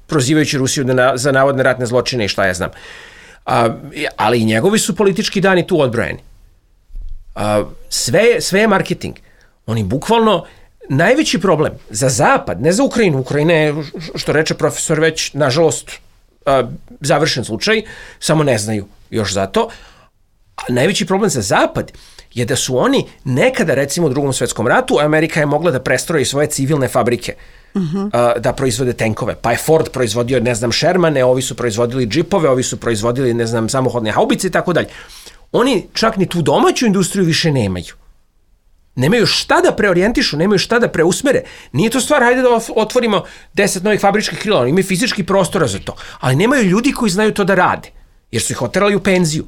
prozivajući Rusiju na, za navodne ratne zločine i šta ja znam. A, ali i njegovi su politički dani tu odbrojeni. A, sve, sve je marketing. Oni bukvalno, najveći problem za Zapad, ne za Ukrajinu, Ukrajina je, što reče profesor, već, nažalost, a, završen slučaj, samo ne znaju još zato. A najveći problem za Zapad je da su oni nekada, recimo u drugom svetskom ratu, Amerika je mogla da prestroji svoje civilne fabrike, uh-huh. a, da proizvode tenkove. Pa je Ford proizvodio, ne znam, Shermane, ovi su proizvodili džipove, ovi su proizvodili, ne znam, samohodne haubice i tako dalje. Oni čak ni tu domaću industriju više nemaju. Nemaju šta da preorijentišu, nemaju šta da preusmere. Nije to stvar, hajde da otvorimo deset novih fabričkih krila, oni imaju fizički prostora za to, ali nemaju ljudi koji znaju to da rade, jer su ih oterali u penziju.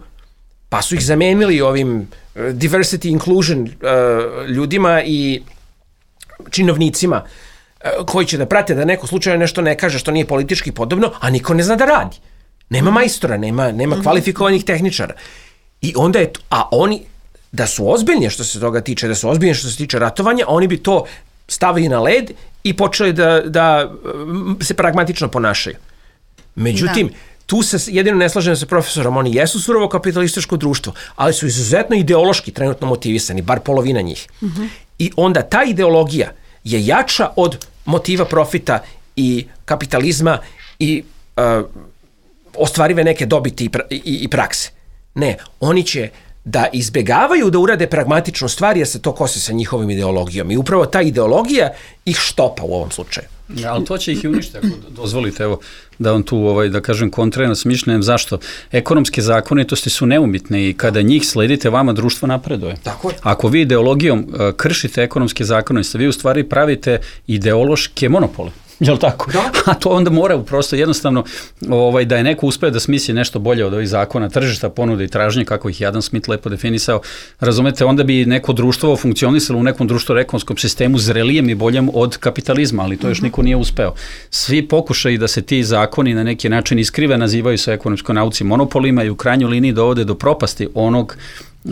Pa su ih zamenili ovim uh, diversity inclusion uh, ljudima i činovnicima uh, koji će da prate da neko slučajno nešto ne kaže što nije politički podobno, a niko ne zna da radi. Nema majstora, nema, nema kvalifikovanih tehničara. I onda je, a oni, da su ozbiljni što se toga tiče, da su ozbiljni što se tiče ratovanja, oni bi to stavili na led i počeli da, da se pragmatično ponašaju. Međutim, da. Tu se jedino ne slažem sa profesorom, oni jesu surovo kapitalističko društvo, ali su izuzetno ideološki trenutno motivisani, bar polovina njih. Uh-huh. I onda ta ideologija je jača od motiva profita i kapitalizma i uh, ostvarive neke dobiti i, pra, i, i prakse. Ne, oni će da izbegavaju da urade pragmatičnu stvar jer se to kosi sa njihovim ideologijom. I upravo ta ideologija ih štopa u ovom slučaju. Ja, ali to će ih i uništiti, ako dozvolite, evo, da vam tu, ovaj, da kažem, kontrarno s mišljenjem. Zašto? Ekonomske zakonitosti su neumitne i kada njih sledite, vama društvo napreduje. Tako je. Ako vi ideologijom uh, kršite ekonomske zakonitosti, vi u stvari pravite ideološke monopole. Jel tako? Da. A to onda mora prosto jednostavno ovaj, da je neko uspeo da smisli nešto bolje od ovih zakona, tržišta, ponude i tražnje, kako ih Adam Smith lepo definisao, razumete, onda bi neko društvo funkcionisalo u nekom društveno-ekonomskom sistemu zrelijem i boljem od kapitalizma, ali to još niko nije uspeo. Svi pokušaju da se ti zakoni na neki način iskrive, nazivaju se ekonomskoj nauci monopolima i u krajnjoj liniji dovode do propasti onog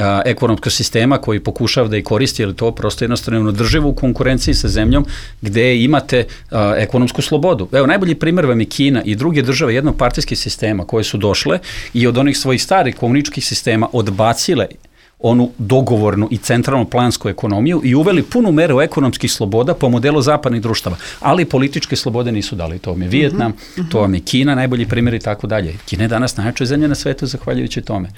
a, ekonomskog sistema koji pokušava da i koristi, jer to prosto jednostavno održivo u konkurenciji sa zemljom gde imate a, ekonomsku slobodu. Evo, najbolji primjer vam je Kina i druge države jednopartijskih sistema koje su došle i od onih svojih starih komunističkih sistema odbacile onu dogovornu i centralnu plansku ekonomiju i uveli punu meru ekonomskih sloboda po modelu zapadnih društava, ali političke slobode nisu dali. To vam je Vijetnam, uh-huh. to vam je Kina, najbolji primjer i tako dalje. Kina je danas najjača zemlja na svetu zahvaljujući tome.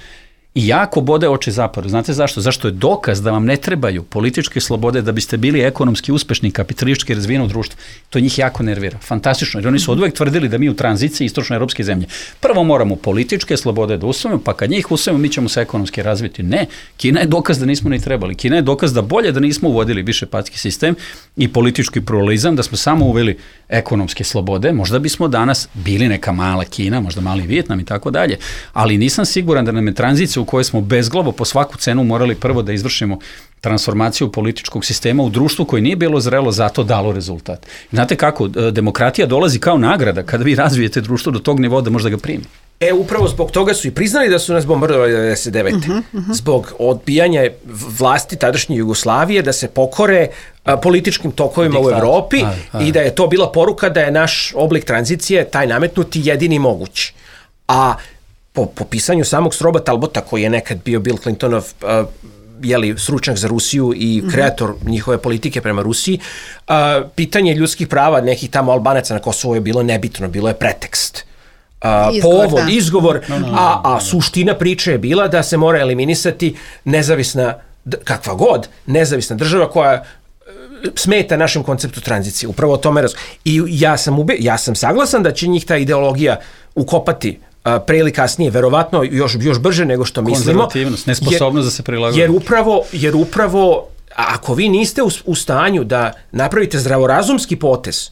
I jako bode oči zapadu. Znate zašto? Zašto je dokaz da vam ne trebaju političke slobode da biste bili ekonomski uspešni, kapitalistički razvijeno društvo. To njih jako nervira. Fantastično. Jer oni su oduvek tvrdili da mi u tranziciji istočnoevropske zemlje prvo moramo političke slobode da usvojimo, pa kad njih usvojimo mi ćemo se ekonomski razviti. Ne. Kina je dokaz da nismo ni trebali. Kina je dokaz da bolje da nismo uvodili više patski sistem i politički pluralizam, da smo samo uveli ekonomske slobode. Možda bismo danas bili neka mala Kina, možda mali Vijetnam i tako dalje. Ali nisam siguran da nam je tranzicija u kojoj smo bezglavo po svaku cenu morali prvo da izvršimo transformaciju političkog sistema u društvu koji nije bilo zrelo, zato dalo rezultat. Znate kako, demokratija dolazi kao nagrada kada vi razvijete društvo do tog nivoa da možda ga primi. E, upravo zbog toga su i priznali da su nas bombardovali devedeset devete. Uh-huh, uh-huh. Zbog odbijanja vlasti tadašnje Jugoslavije da se pokore a, političkim tokovima Diktat. u Evropi aj, aj. i da je to bila poruka da je naš oblik tranzicije, taj nametnuti, jedini moguć. A po, po pisanju samog Stroba Talbota, koji je nekad bio Bill Clintonov a, jeli, stručnjak za Rusiju i kreator uh-huh. njihove politike prema Rusiji, a, pitanje ljudskih prava nekih tamo Albanaca na Kosovu je bilo nebitno, bilo je pretekst. A, izgovor, povod, da. izgovor, no, no, no, a, a suština priče je bila da se mora eliminisati nezavisna, kakva god, nezavisna država koja smeta našem konceptu tranzicije. Upravo o tome razgovor. I ja sam, ube, ja sam saglasan da će njih ta ideologija ukopati a, pre ili kasnije, verovatno još, još brže nego što mislimo. Konzervativnost, nesposobnost da se prilagoditi. Jer upravo, jer upravo, ako vi niste u, u stanju da napravite zdravorazumski potez,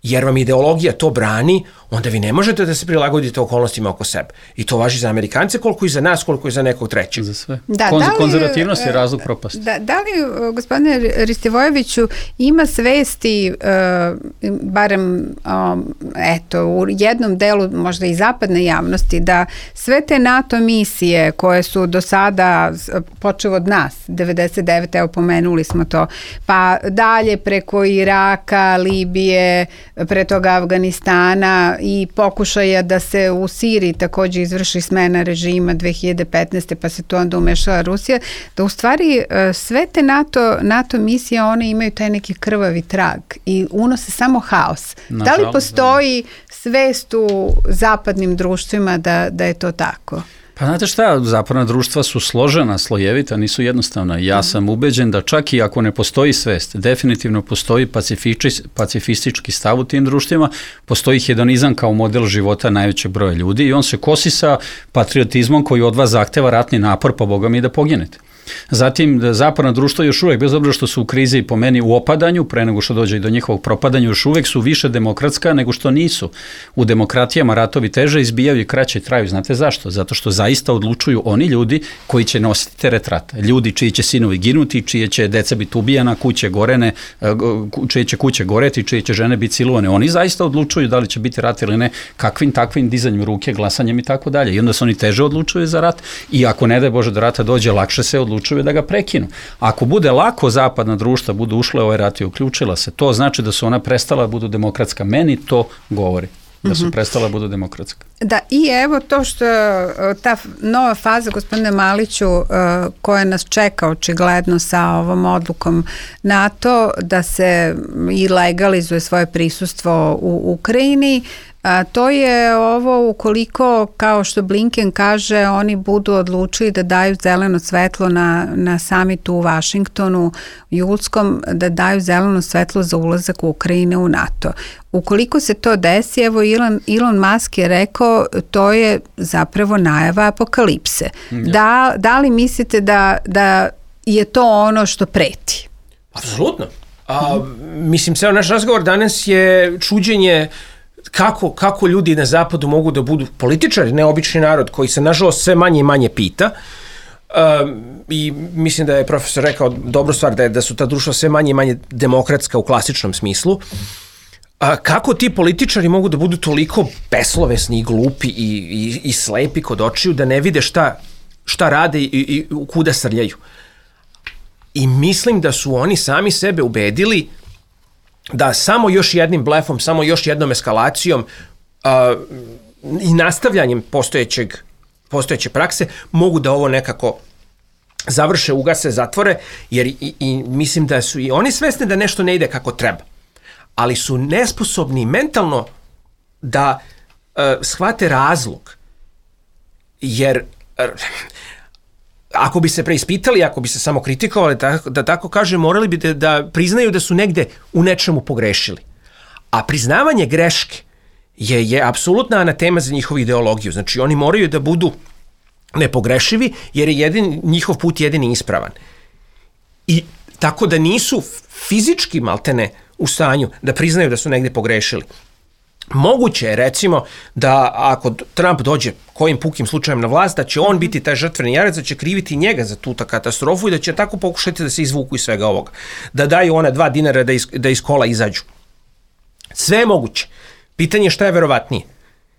jer vam ideologija to brani, onda vi ne možete da se prilagodite okolnostima oko sebe. I to važi za Amerikance koliko i za nas, koliko i za nekog trećeg. Za sve. Da, Konz- da li, konzervativnost je razlog propasti. Da, da li, gospodine Ristivojeviću, ima svesti, uh, barem um, eto, u jednom delu možda i zapadne javnosti, da sve te NATO misije koje su do sada, počeo od nas, devedeset devete evo pomenuli smo to, pa dalje preko Iraka, Libije, pre toga Afganistana i pokušaja da se u Siriji također izvrši smena režima dve hiljade petnaeste pa se tu onda umešala Rusija, da u stvari sve te NATO, NATO misije one imaju taj neki krvavi trag i unose samo haos. Na da li žal, postoji da. svest u zapadnim društvima da, da je to tako? Pa znate šta, zapadna društva su složena, slojevita, nisu jednostavna. Ja sam ubeđen da čak i ako ne postoji svest, definitivno postoji pacifistički stav u tim društvima, postoji hedonizam kao model života najvećeg broja ljudi i on se kosi sa patriotizmom koji od vas zahteva ratni napor, pa Boga mi da poginete. Zatim, zapadna društva još uvek, bez obzira što su u krizi po meni u opadanju, pre nego što dođe i do njihovog propadanja, još uvek su više demokratska nego što nisu. U demokratijama ratovi teže izbijaju i kraće traju. Znate zašto? Zato što zaista odlučuju oni ljudi koji će nositi teret rata. Ljudi čiji će sinovi ginuti, čije će deca biti ubijana, kuće gorene, čije će kuće goreti, čije će žene biti silovane. Oni zaista odlučuju da li će biti rat ili ne, kakvim takvim dizanjem ruke, glasanjem i tako dalje. I onda se oni teže odlučuju za rat i ako ne daj Bože do rata dođe, lakše se odlučuju da ga prekinu. Ako bude lako zapadna društva budu ušle u ovaj rat i uključila se, to znači da su ona prestala da budu demokratska. Meni to govori. Da su prestala da budu demokratska. Da, i evo to što ta nova faza, gospodine Maliću, koja nas čeka očigledno sa ovom odlukom NATO da se i legalizuje svoje prisustvo u Ukrajini, a to je ovo ukoliko, kao što Blinken kaže, oni budu odlučili da daju zeleno svetlo na, na samitu u Vašingtonu julskom, da daju zeleno svetlo za ulazak u Ukrajine u NATO. Ukoliko se to desi, evo Elon, Elon Musk je rekao, to je zapravo najava apokalipse. Ja. Da, da li mislite da, da je to ono što preti? Apsolutno. A, mislim, ceo naš razgovor danas je čuđenje Kako, kako ljudi na zapadu mogu da budu političari, neobični narod koji se nažalost sve manje i manje pita. Um, i mislim da je profesor rekao dobru stvar, da, je, da su ta društva sve manje i manje demokratska u klasičnom smislu. A, kako ti političari mogu da budu toliko beslovesni i glupi i, i, i slepi kod očiju da ne vide šta, šta rade i, i kuda srljaju. I mislim da su oni sami sebe ubedili da samo još jednim blefom, samo još jednom eskalacijom uh, i nastavljanjem postojećeg, postojeće prakse mogu da ovo nekako završe, ugase, zatvore, jer i, i mislim da su i oni svesni da nešto ne ide kako treba, ali su nesposobni mentalno da uh, shvate razlog, jer uh, ako bi se preispitali, ako bi se samo kritikovali, da, da tako kaže, morali bi da, da priznaju da su negde u nečemu pogrešili. A priznavanje greške je, je apsolutna anatema za njihovu ideologiju. Znači, oni moraju da budu nepogrešivi, jer je jedin, njihov put jedini ispravan. I tako da nisu fizički maltene u stanju da priznaju da su negde pogrešili. Moguće je, recimo, da ako Trump dođe kojim pukim slučajem na vlast, da će on biti taj žrtveni jarac, da će kriviti njega za tu katastrofu i da će tako pokušati da se izvuku iz svega ovoga. Da daju ona dva dinara da iz, da iz kola izađu. Sve je moguće. Pitanje je šta je verovatnije.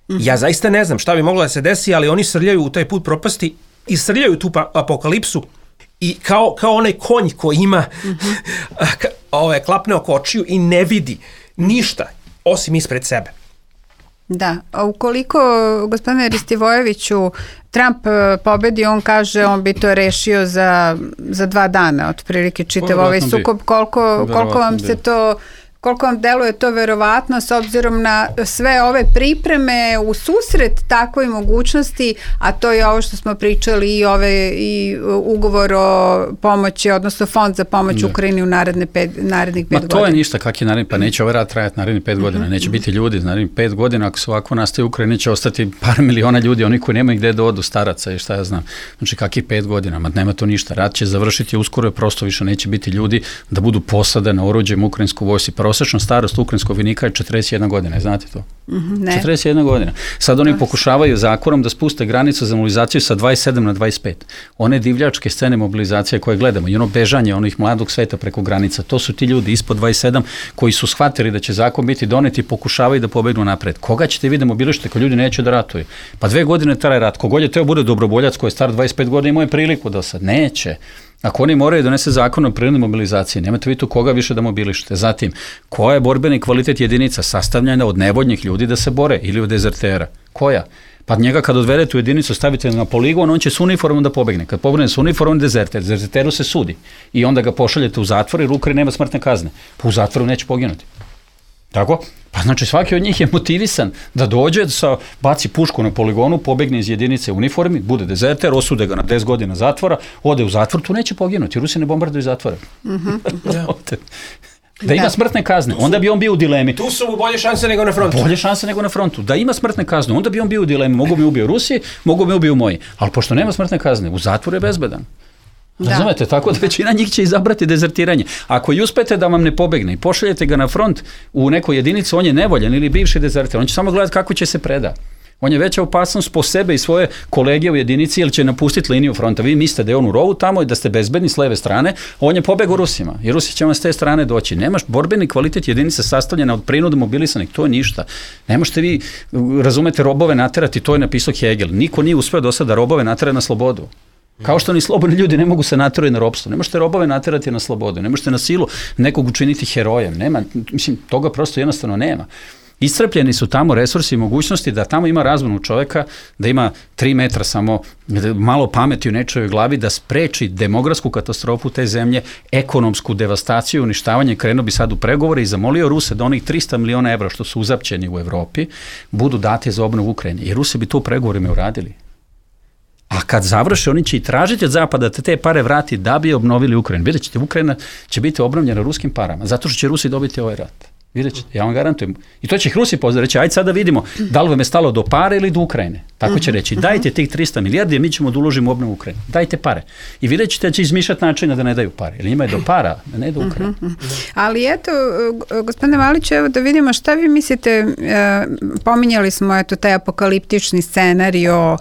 Ja zaista ne znam šta bi moglo da se desi, ali oni srljaju u taj put propasti i srljaju tu apokalipsu i kao, kao onaj konj koji ima mm-hmm. ove, klapne oko očiju i ne vidi ništa osim ispred sebe. Da, a ukoliko, gospodine Ristivojeviću, Trump pobedi, on kaže on bi to rešio za, za dva dana, otprilike čitav ovaj sukob, koliko, koliko vam se to... Koliko vam deluje to verovatno s obzirom na sve ove pripreme u susret takvoj mogućnosti, a to je ovo što smo pričali i ove i ugovor o pomoći, odnosno fond za pomoć Ukrajini u naredne pet, narednih pet godina. Ma to je ništa kak je naredni, pa neće ovaj rat trajati narednih pet godina, neće mm-hmm. biti ljudi, narednih pet godina, ako se ovako nastaje Ukrajina, će ostati par miliona ljudi, oni koji nemaju gde da odu, staraca i šta ja znam. Znači kakih pet godina, ma nema to ništa, rat će završiti uskoro, prosto više neće biti ljudi da budu posade na oruđem ukrajinsku vojsci, prosječna starost ukrajinskog vojnika je četrdeset jedna godina, znate to? Mm-hmm, ne. četrdeset jedna godina. Sad oni pokušavaju zakonom da spuste granicu za mobilizaciju sa dvadeset sedam na dvadeset pet. One divljačke scene mobilizacije koje gledamo i ono bežanje onih mladog sveta preko granica, to su ti ljudi ispod dvadeset sedam koji su shvatili da će zakon biti donet i pokušavaju da pobegnu napred. Koga ćete vi da mobilišete ko ljudi neće da ratuju? Pa dve godine traje rat. Kogod je teo bude dobrovoljac koji je star dvadeset pet godina imao je priliku da sad neće. Ako oni moraju donese zakon o prirodnoj mobilizaciji, nemate vi tu koga više da mobilišete. Zatim, koja je borbeni kvalitet jedinica sastavljena od nevoljnih ljudi da se bore ili od dezertera? Koja? Pa njega kad odvedete u jedinicu, stavite na poligon, on će s uniformom da pobegne. Kad pobegne s uniformom, dezerter. Dezerteru se sudi. I onda ga pošaljete u zatvor jer u Ukrajini nema smrtne kazne. Pa u zatvoru neće poginuti. Tako? Pa znači svaki od njih je motivisan da dođe, sa, baci pušku na poligonu, pobegne iz jedinice u uniformi, bude dezerter, osude ga na deset godina zatvora, ode u zatvor, tu neće poginuti. Rusi ne bombarduju zatvora. Mm-hmm. Da ima smrtne kazne, onda bi on bio u dilemi. Tu su mu bolje šanse nego na frontu. Bolje šanse nego na frontu. Da ima smrtne kazne, onda bi on bio u dilemi. Mogu mi ubio Rusi, mogu mi ubio moji. Ali pošto nema smrtne kazne, u zatvoru je bezbedan. Razumete, tako da većina njih će izabrati dezertiranje. Ako i uspete da vam ne pobegne i pošaljete ga na front u nekoj jedinici, on je nevoljan ili bivši dezertir, on će samo gledati kako će se preda. On je veća opasnost po sebe i svoje kolege u jedinici ili će napustiti liniju fronta. Vi mislite da je on u rovu tamo i da ste bezbedni s leve strane, on je pobegao Rusima i Rusi će vam s te strane doći. Nemaš borbeni kvalitet jedinice sastavljena od prinuda mobilisanih, to je ništa. Ne možete vi, razumete, robove naterati, to je napisao Hegel. Niko nije uspeo do sada robove naterati na slobodu. Kao što ni slobodni ljudi ne mogu se naterati na ropstvo. Ne možete robove naterati na slobodu. Ne možete na silu nekog učiniti herojem. Nema, mislim, toga prosto jednostavno nema. Iscrpljeni su tamo resursi i mogućnosti da tamo ima razvonu čoveka, da ima tri metra samo malo pameti u nečojoj glavi, da spreči demografsku katastrofu te zemlje, ekonomsku devastaciju, uništavanje. Krenuo bi sad u pregovore i zamolio Ruse da onih trista miliona evra što su uzapćeni u Evropi budu dati za obnovu Ukrajine. I Rusi bi to u pregovorima uradili. A kad završe, oni će i tražiti od Zapada da te pare vrati da bi obnovili Ukrajinu. Vidjet ćete, Ukrajina će biti obnovljena ruskim parama, zato što će Rusi dobiti ovaj rat. Vidjet ćete, ja vam garantujem. I to će ih Rusi pozdrav reći, ajde sad da vidimo da li vam je stalo do pare ili do Ukrajine. Tako će reći, dajte tih trista milijardi, mi ćemo da uložimo u obnovu Ukrajine. Dajte pare. I vidjet ćete da će izmišljati načina da ne daju pare. Jer njima je do para, da ne do Ukrajine. Ali eto, gospodine Malić, evo da vidimo šta vi mislite, pominjali smo eto taj apokaliptični scenario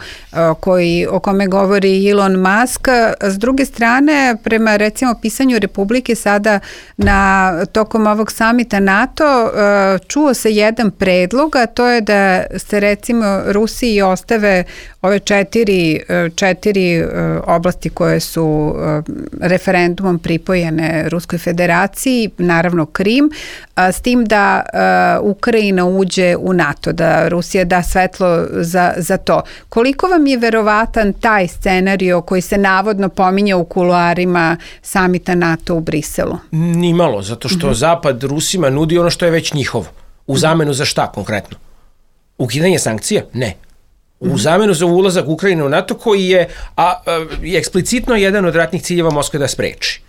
koji, o kome govori Elon Musk. S druge strane, prema recimo pisanju Republike sada na tokom ovog samita NATO, čuo se jedan predlog, a to je da se recimo Rusiji ostave ove četiri, četiri oblasti koje su referendumom pripojene Ruskoj federaciji, naravno Krim, s tim da Ukrajina uđe u NATO, da Rusija da svetlo za, za to. Koliko vam je verovatan taj scenario koji se navodno pominje u kuloarima samita NATO u Briselu? Nimalo, zato što uh-huh. Zapad Rusima nudi ono što je već njihovo. U zamenu za šta konkretno? Ukidanje sankcija? Ne. U zamenu za ulazak Ukrajine u NATO koji je, a, a, je eksplicitno jedan od ratnih ciljeva Moskve da spreči.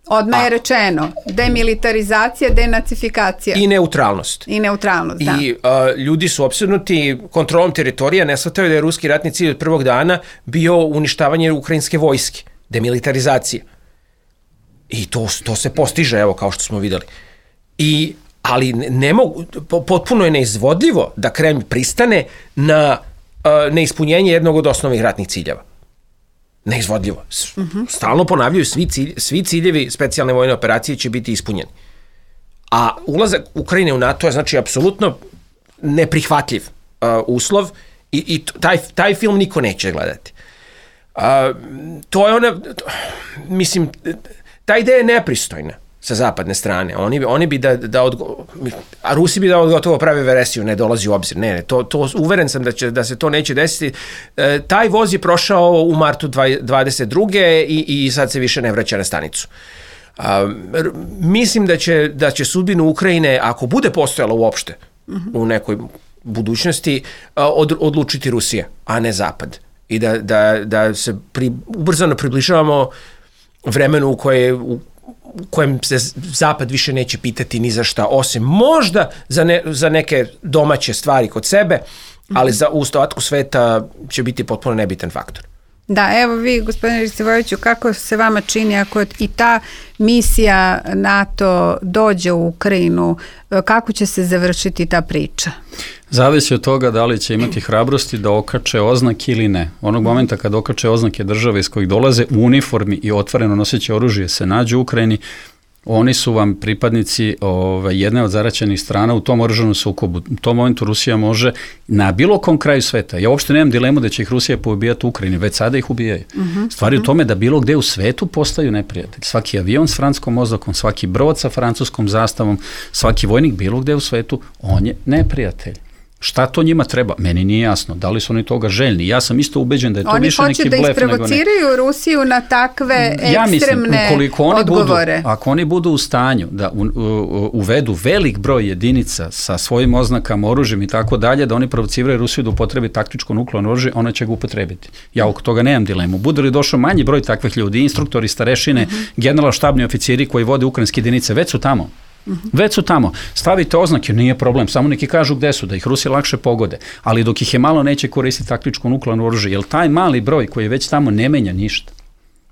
Odmah je rečeno, demilitarizacija, denacifikacija. I neutralnost. I neutralnost, da. I a, ljudi su opsednuti kontrolom teritorija, ne shvataju da je ruski ratni cilj od prvog dana bio uništavanje ukrajinske vojske, demilitarizacija. I to, to se postiže, evo, kao što smo videli. I, ali ne mogu, potpuno je neizvodljivo da Kreml pristane na a, neispunjenje jednog od osnovnih ratnih ciljeva. Neizvodljivo. Uh-huh. Stalno ponavljaju, svi, cilj, svi ciljevi specijalne vojne operacije će biti ispunjeni. A ulazak Ukrajine u NATO je znači apsolutno neprihvatljiv uh, uslov i, i taj, taj film niko neće gledati. Uh, to je ona, mislim, ta ideja je nepristojna sa zapadne strane. Oni, oni bi da, da odgo, a Rusi bi da odgotovo prave veresiju, ne dolazi u obzir. Ne, ne, to, to, uveren sam da, će, da se to neće desiti. E, taj voz je prošao u martu dvadeset druge i, i sad se više ne vraća na stanicu. A, r, mislim da će, da će sudbinu Ukrajine, ako bude postojala uopšte uh-huh. u nekoj budućnosti, od, odlučiti Rusija, a ne Zapad. I da, da, da se pri, ubrzano približavamo vremenu u koje u u kojem se Zapad više neće pitati ni za šta, osim možda za, ne, za neke domaće stvari kod sebe, ali za u ostatku sveta će biti potpuno nebitan faktor. Da, evo vi, gospodine Ristivojeviću, kako se vama čini ako i ta misija NATO dođe u Ukrajinu, kako će se završiti ta priča? Zavisi od toga da li će imati hrabrosti da okače oznake ili ne. Onog momenta kad okače oznake države iz kojih dolaze u uniformi i otvoreno noseći oružje se nađu u Ukrajini, oni su vam pripadnici ove, jedne od zaraćenih strana u tom oružanom sukobu. U tom momentu Rusija može na bilo kom kraju sveta. Ja uopšte nemam dilemu da će ih Rusija poubijati u Ukrajini, već sada ih ubijaju. Uh-huh. Stvari u tome da bilo gde u svetu postaju neprijatelji. Svaki avion s francuskom oznakom, svaki brod sa francuskom zastavom, svaki vojnik bilo gde u svetu, on je neprijatelj. Šta to njima treba? Meni nije jasno. Da li su oni toga željni? Ja sam isto ubeđen da je to oni više neki blef nego ne. Oni hoće da isprovociraju Rusiju na takve ja ekstremne mislim, oni odgovore. Budu, ako oni budu u stanju da u, u, uvedu velik broj jedinica sa svojim oznakama, oružjem i tako dalje, da oni provociraju Rusiju da upotrebi taktičko nuklearno oružje, ona će ga upotrebiti. Ja oko toga nemam dilemu. Bude li došao manji broj takvih ljudi, instruktori, starešine, uh-huh. general-štabni oficiri koji vode ukrajinske jedinice, već su tamo. Uh-huh. Već su tamo. Stavite oznake, nije problem, samo neki kažu gde su, da ih Rusi lakše pogode, ali dok ih je malo neće koristiti taktičko nuklearno oružje, jer taj mali broj koji je već tamo ne menja ništa.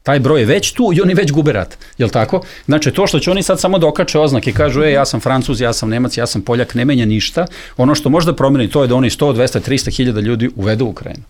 Taj broj je već tu i oni već gube rat, jel tako? Znači to što će oni sad samo dokače oznake i kažu, e, ja sam Francuz, ja sam Nemac, ja sam Poljak, ne menja ništa. Ono što možda promeni to je da oni sto, dvesta, trista hiljada ljudi uvedu u Ukrajinu.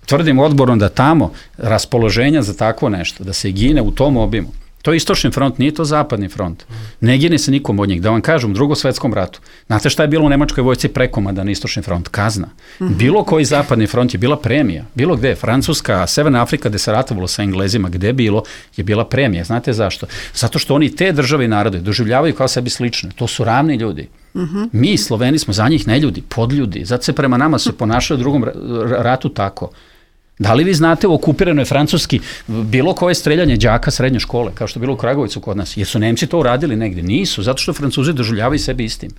Tvrdim odborno da tamo raspoloženja za takvo nešto, da se gine u tom obimu. To je istočni front, nije to zapadni front. Ne gine se nikom od njih. Da vam kažem, u Drugom svetskom ratu, znate šta je bilo u Nemačkoj vojsci prekomadan istočni front? Kazna. Bilo koji zapadni front je bila premija. Bilo gde, Francuska, Severna Afrika, gde se ratovalo sa Englezima, gde bilo, je bila premija. Znate zašto? Zato što oni te države i narode doživljavaju kao sebi slične. To su ravni ljudi. Uh-huh. Mi, Sloveni, smo za njih neljudi, podljudi. Zato se prema nama se ponašaju u Drugom ratu tako. Da li vi znate u okupiranoj Francuski bilo koje streljanje đaka srednje škole, kao što je bilo u Kragovicu kod nas? Jesu Nemci to uradili negdje? Nisu, zato što Francuzi doživljavaju sebe istim.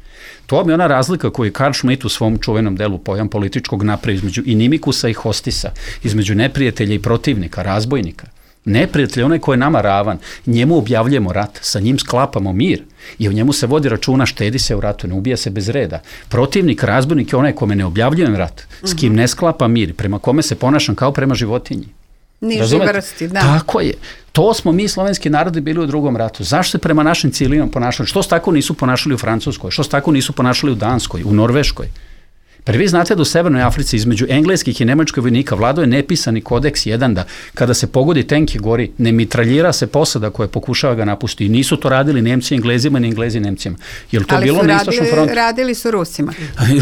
To je ona razlika koju je Karl Schmitt u svom čuvenom delu pojam političkog napravi između inimikusa i hostisa, između neprijatelja i protivnika, razbojnika. Neprijatelj je onaj koji je nama ravan, njemu objavljujemo rat, sa njim sklapamo mir i u njemu se vodi računa, štedi se u ratu, ne ubija se bez reda. Protivnik, razbojnik je onaj kome ne objavljujem rat, s kim ne sklapa mir, prema kome se ponašam kao prema životinji. Niži vrsti, da. Tako je. To smo mi, slovenski narodi, bili u Drugom ratu. Zašto se prema našim ciljima ponašali? Što se tako nisu ponašali u Francuskoj? Što se tako nisu ponašali u Danskoj, u Norveškoj? Pa vi znate da u Severnoj Africi između engleskih i nemačkih vojnika vladao je nepisani kodeks jedan da kada se pogodi tenk i gori, ne mitraljira se posada koja pokušava ga napustiti. I nisu to radili Nemci Englezima ni Englezi Nemcima. Jel to ali bilo su na istočnom radili, frontu? radili su Rusima.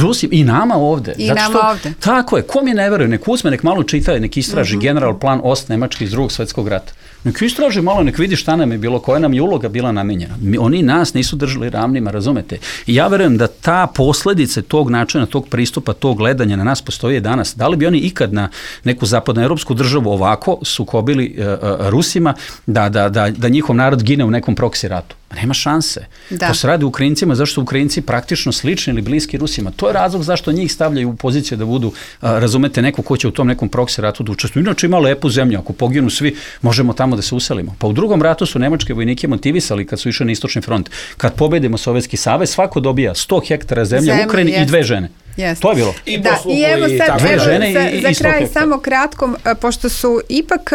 Rusi, i nama ovde. I Zato nama što, ovde. Tako je, ko mi ne veruje, nek uzme, nek malo čita, nek istraži uh-huh. general plan Ost Nemački iz Drugog svjetskog rata. Nek istraži malo, nek vidi šta nam je bilo, koja nam je uloga bila namenjena. Mi, oni nas nisu držali ravnima, razumete? I ja verujem da ta posljedice tog načina, tog pristupa, tog gledanja na nas postoji danas. Da li bi oni ikad na neku zapadnoevropsku državu ovako sukobili uh, uh, Rusima da, da, da, da njihov narod gine u nekom proksi ratu? Nema šanse. Da. To se radi Ukrajincima, zašto su Ukrajinci praktično slični ili bliski Rusima. To je razlog zašto njih stavljaju u poziciju da budu, uh, razumete, neko ko će u tom nekom proksi ratu da učestvuju. Inače ima lepu zemlju, ako poginu svi, možemo tamo da se uselimo. Pa u Drugom ratu su nemačke vojnike motivisali kad su išli na istočni front. Kad pobedimo Sovjetski savez, svako dobija sto hektara zemlje u Ukrajini i dve žene. Jest. To je bilo. I da, i evo sad, dve evo, žene za, i, i za kraj hektara. samo kratko, pošto su ipak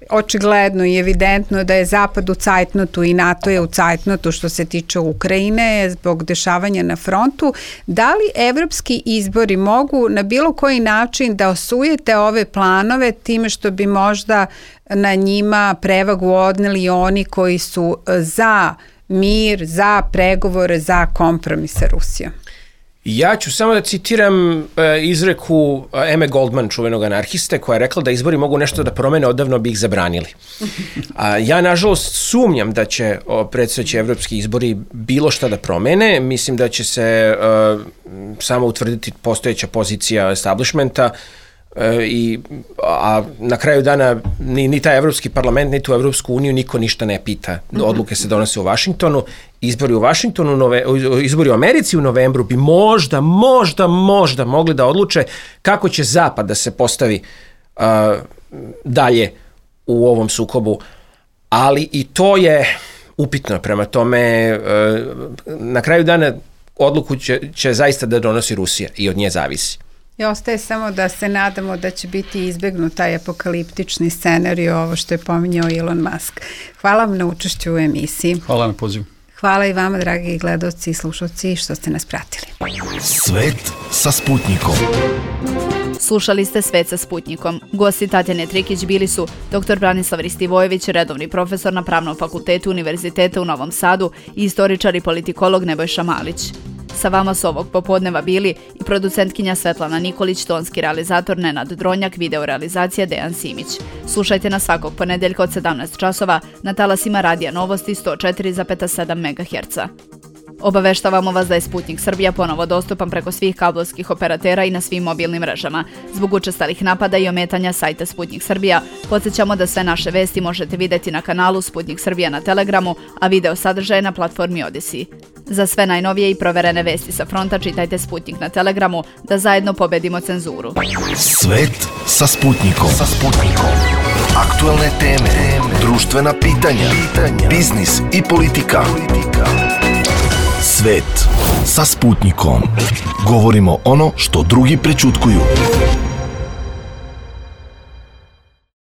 očigledno i evidentno da je Zapad u cajtnotu i NATO je u cajtnotu što se tiče Ukrajine zbog dešavanja na frontu, da li evropski izbori mogu na bilo koji način da osujete ove planove time što bi možda na njima prevagu odneli oni koji su za mir, za pregovore, za kompromis sa Rusijom? Ja ću samo da citiram uh, izreku uh, Eme Goldman, čuvenog anarhiste, koja je rekla da izbori mogu nešto da promene, odavno bi ih zabranili. A ja, nažalost, sumnjam da će predstojeći evropski izbori bilo šta da promene. Mislim da će se uh, samo utvrditi postojeća pozicija establishmenta, I, a na kraju dana ni, ni taj Evropski parlament, ni tu Evropsku uniju niko ništa ne pita. Odluke se donose u Vašingtonu, izbori u Vašingtonu, nove, izbori u Americi u novembru bi možda, možda, možda mogli da odluče kako će Zapad da se postavi uh, dalje u ovom sukobu, ali i to je upitno. Prema tome, uh, na kraju dana odluku će, će zaista da donosi Rusija i od nje zavisi. I ostaje samo da se nadamo da će biti izbegnut taj apokaliptični scenarij, ovo što je pominjao Elon Musk. Hvala vam na učešću u emisiji. Hvala na pozivu. Hvala i vama, dragi gledalci i slušalci, što ste nas pratili. Svet sa Sputnikom. Slušali ste Svet sa Sputnikom. Gosti Tatjane Trikić bili su doktor Branislav Ristivojević, redovni profesor na Pravnom fakultetu Univerziteta u Novom Sadu i istoričar i politikolog Nebojša Malić. Sa vama su ovog popodneva bili i producentkinja Svetlana Nikolić, tonski realizator Nenad Dronjak, videorealizacija Dejan Simić. Slušajte nas svakog ponedeljka od sedamnaest časova na talasima Radija Novosti sto četiri zarez sedam megaherca. Obaveštavamo vas da je Sputnik Srbija ponovo dostupan preko svih kablovskih operatera i na svim mobilnim mrežama. Zbog učestalih napada i ometanja sajta Sputnik Srbija, podsjećamo da sve naše vesti možete videti na kanalu Sputnik Srbija na Telegramu, a video sadržaje na platformi Odisi. Za sve najnovije i proverene vesti sa fronta čitajte Sputnik na Telegramu, da zajedno pobedimo cenzuru. Svet sa Sputnikom. Sa Sputnikom. Aktuelne teme, društvena pitanja, biznis i politika. Svet sa Sputnikom. Govorimo ono što drugi prećutkuju.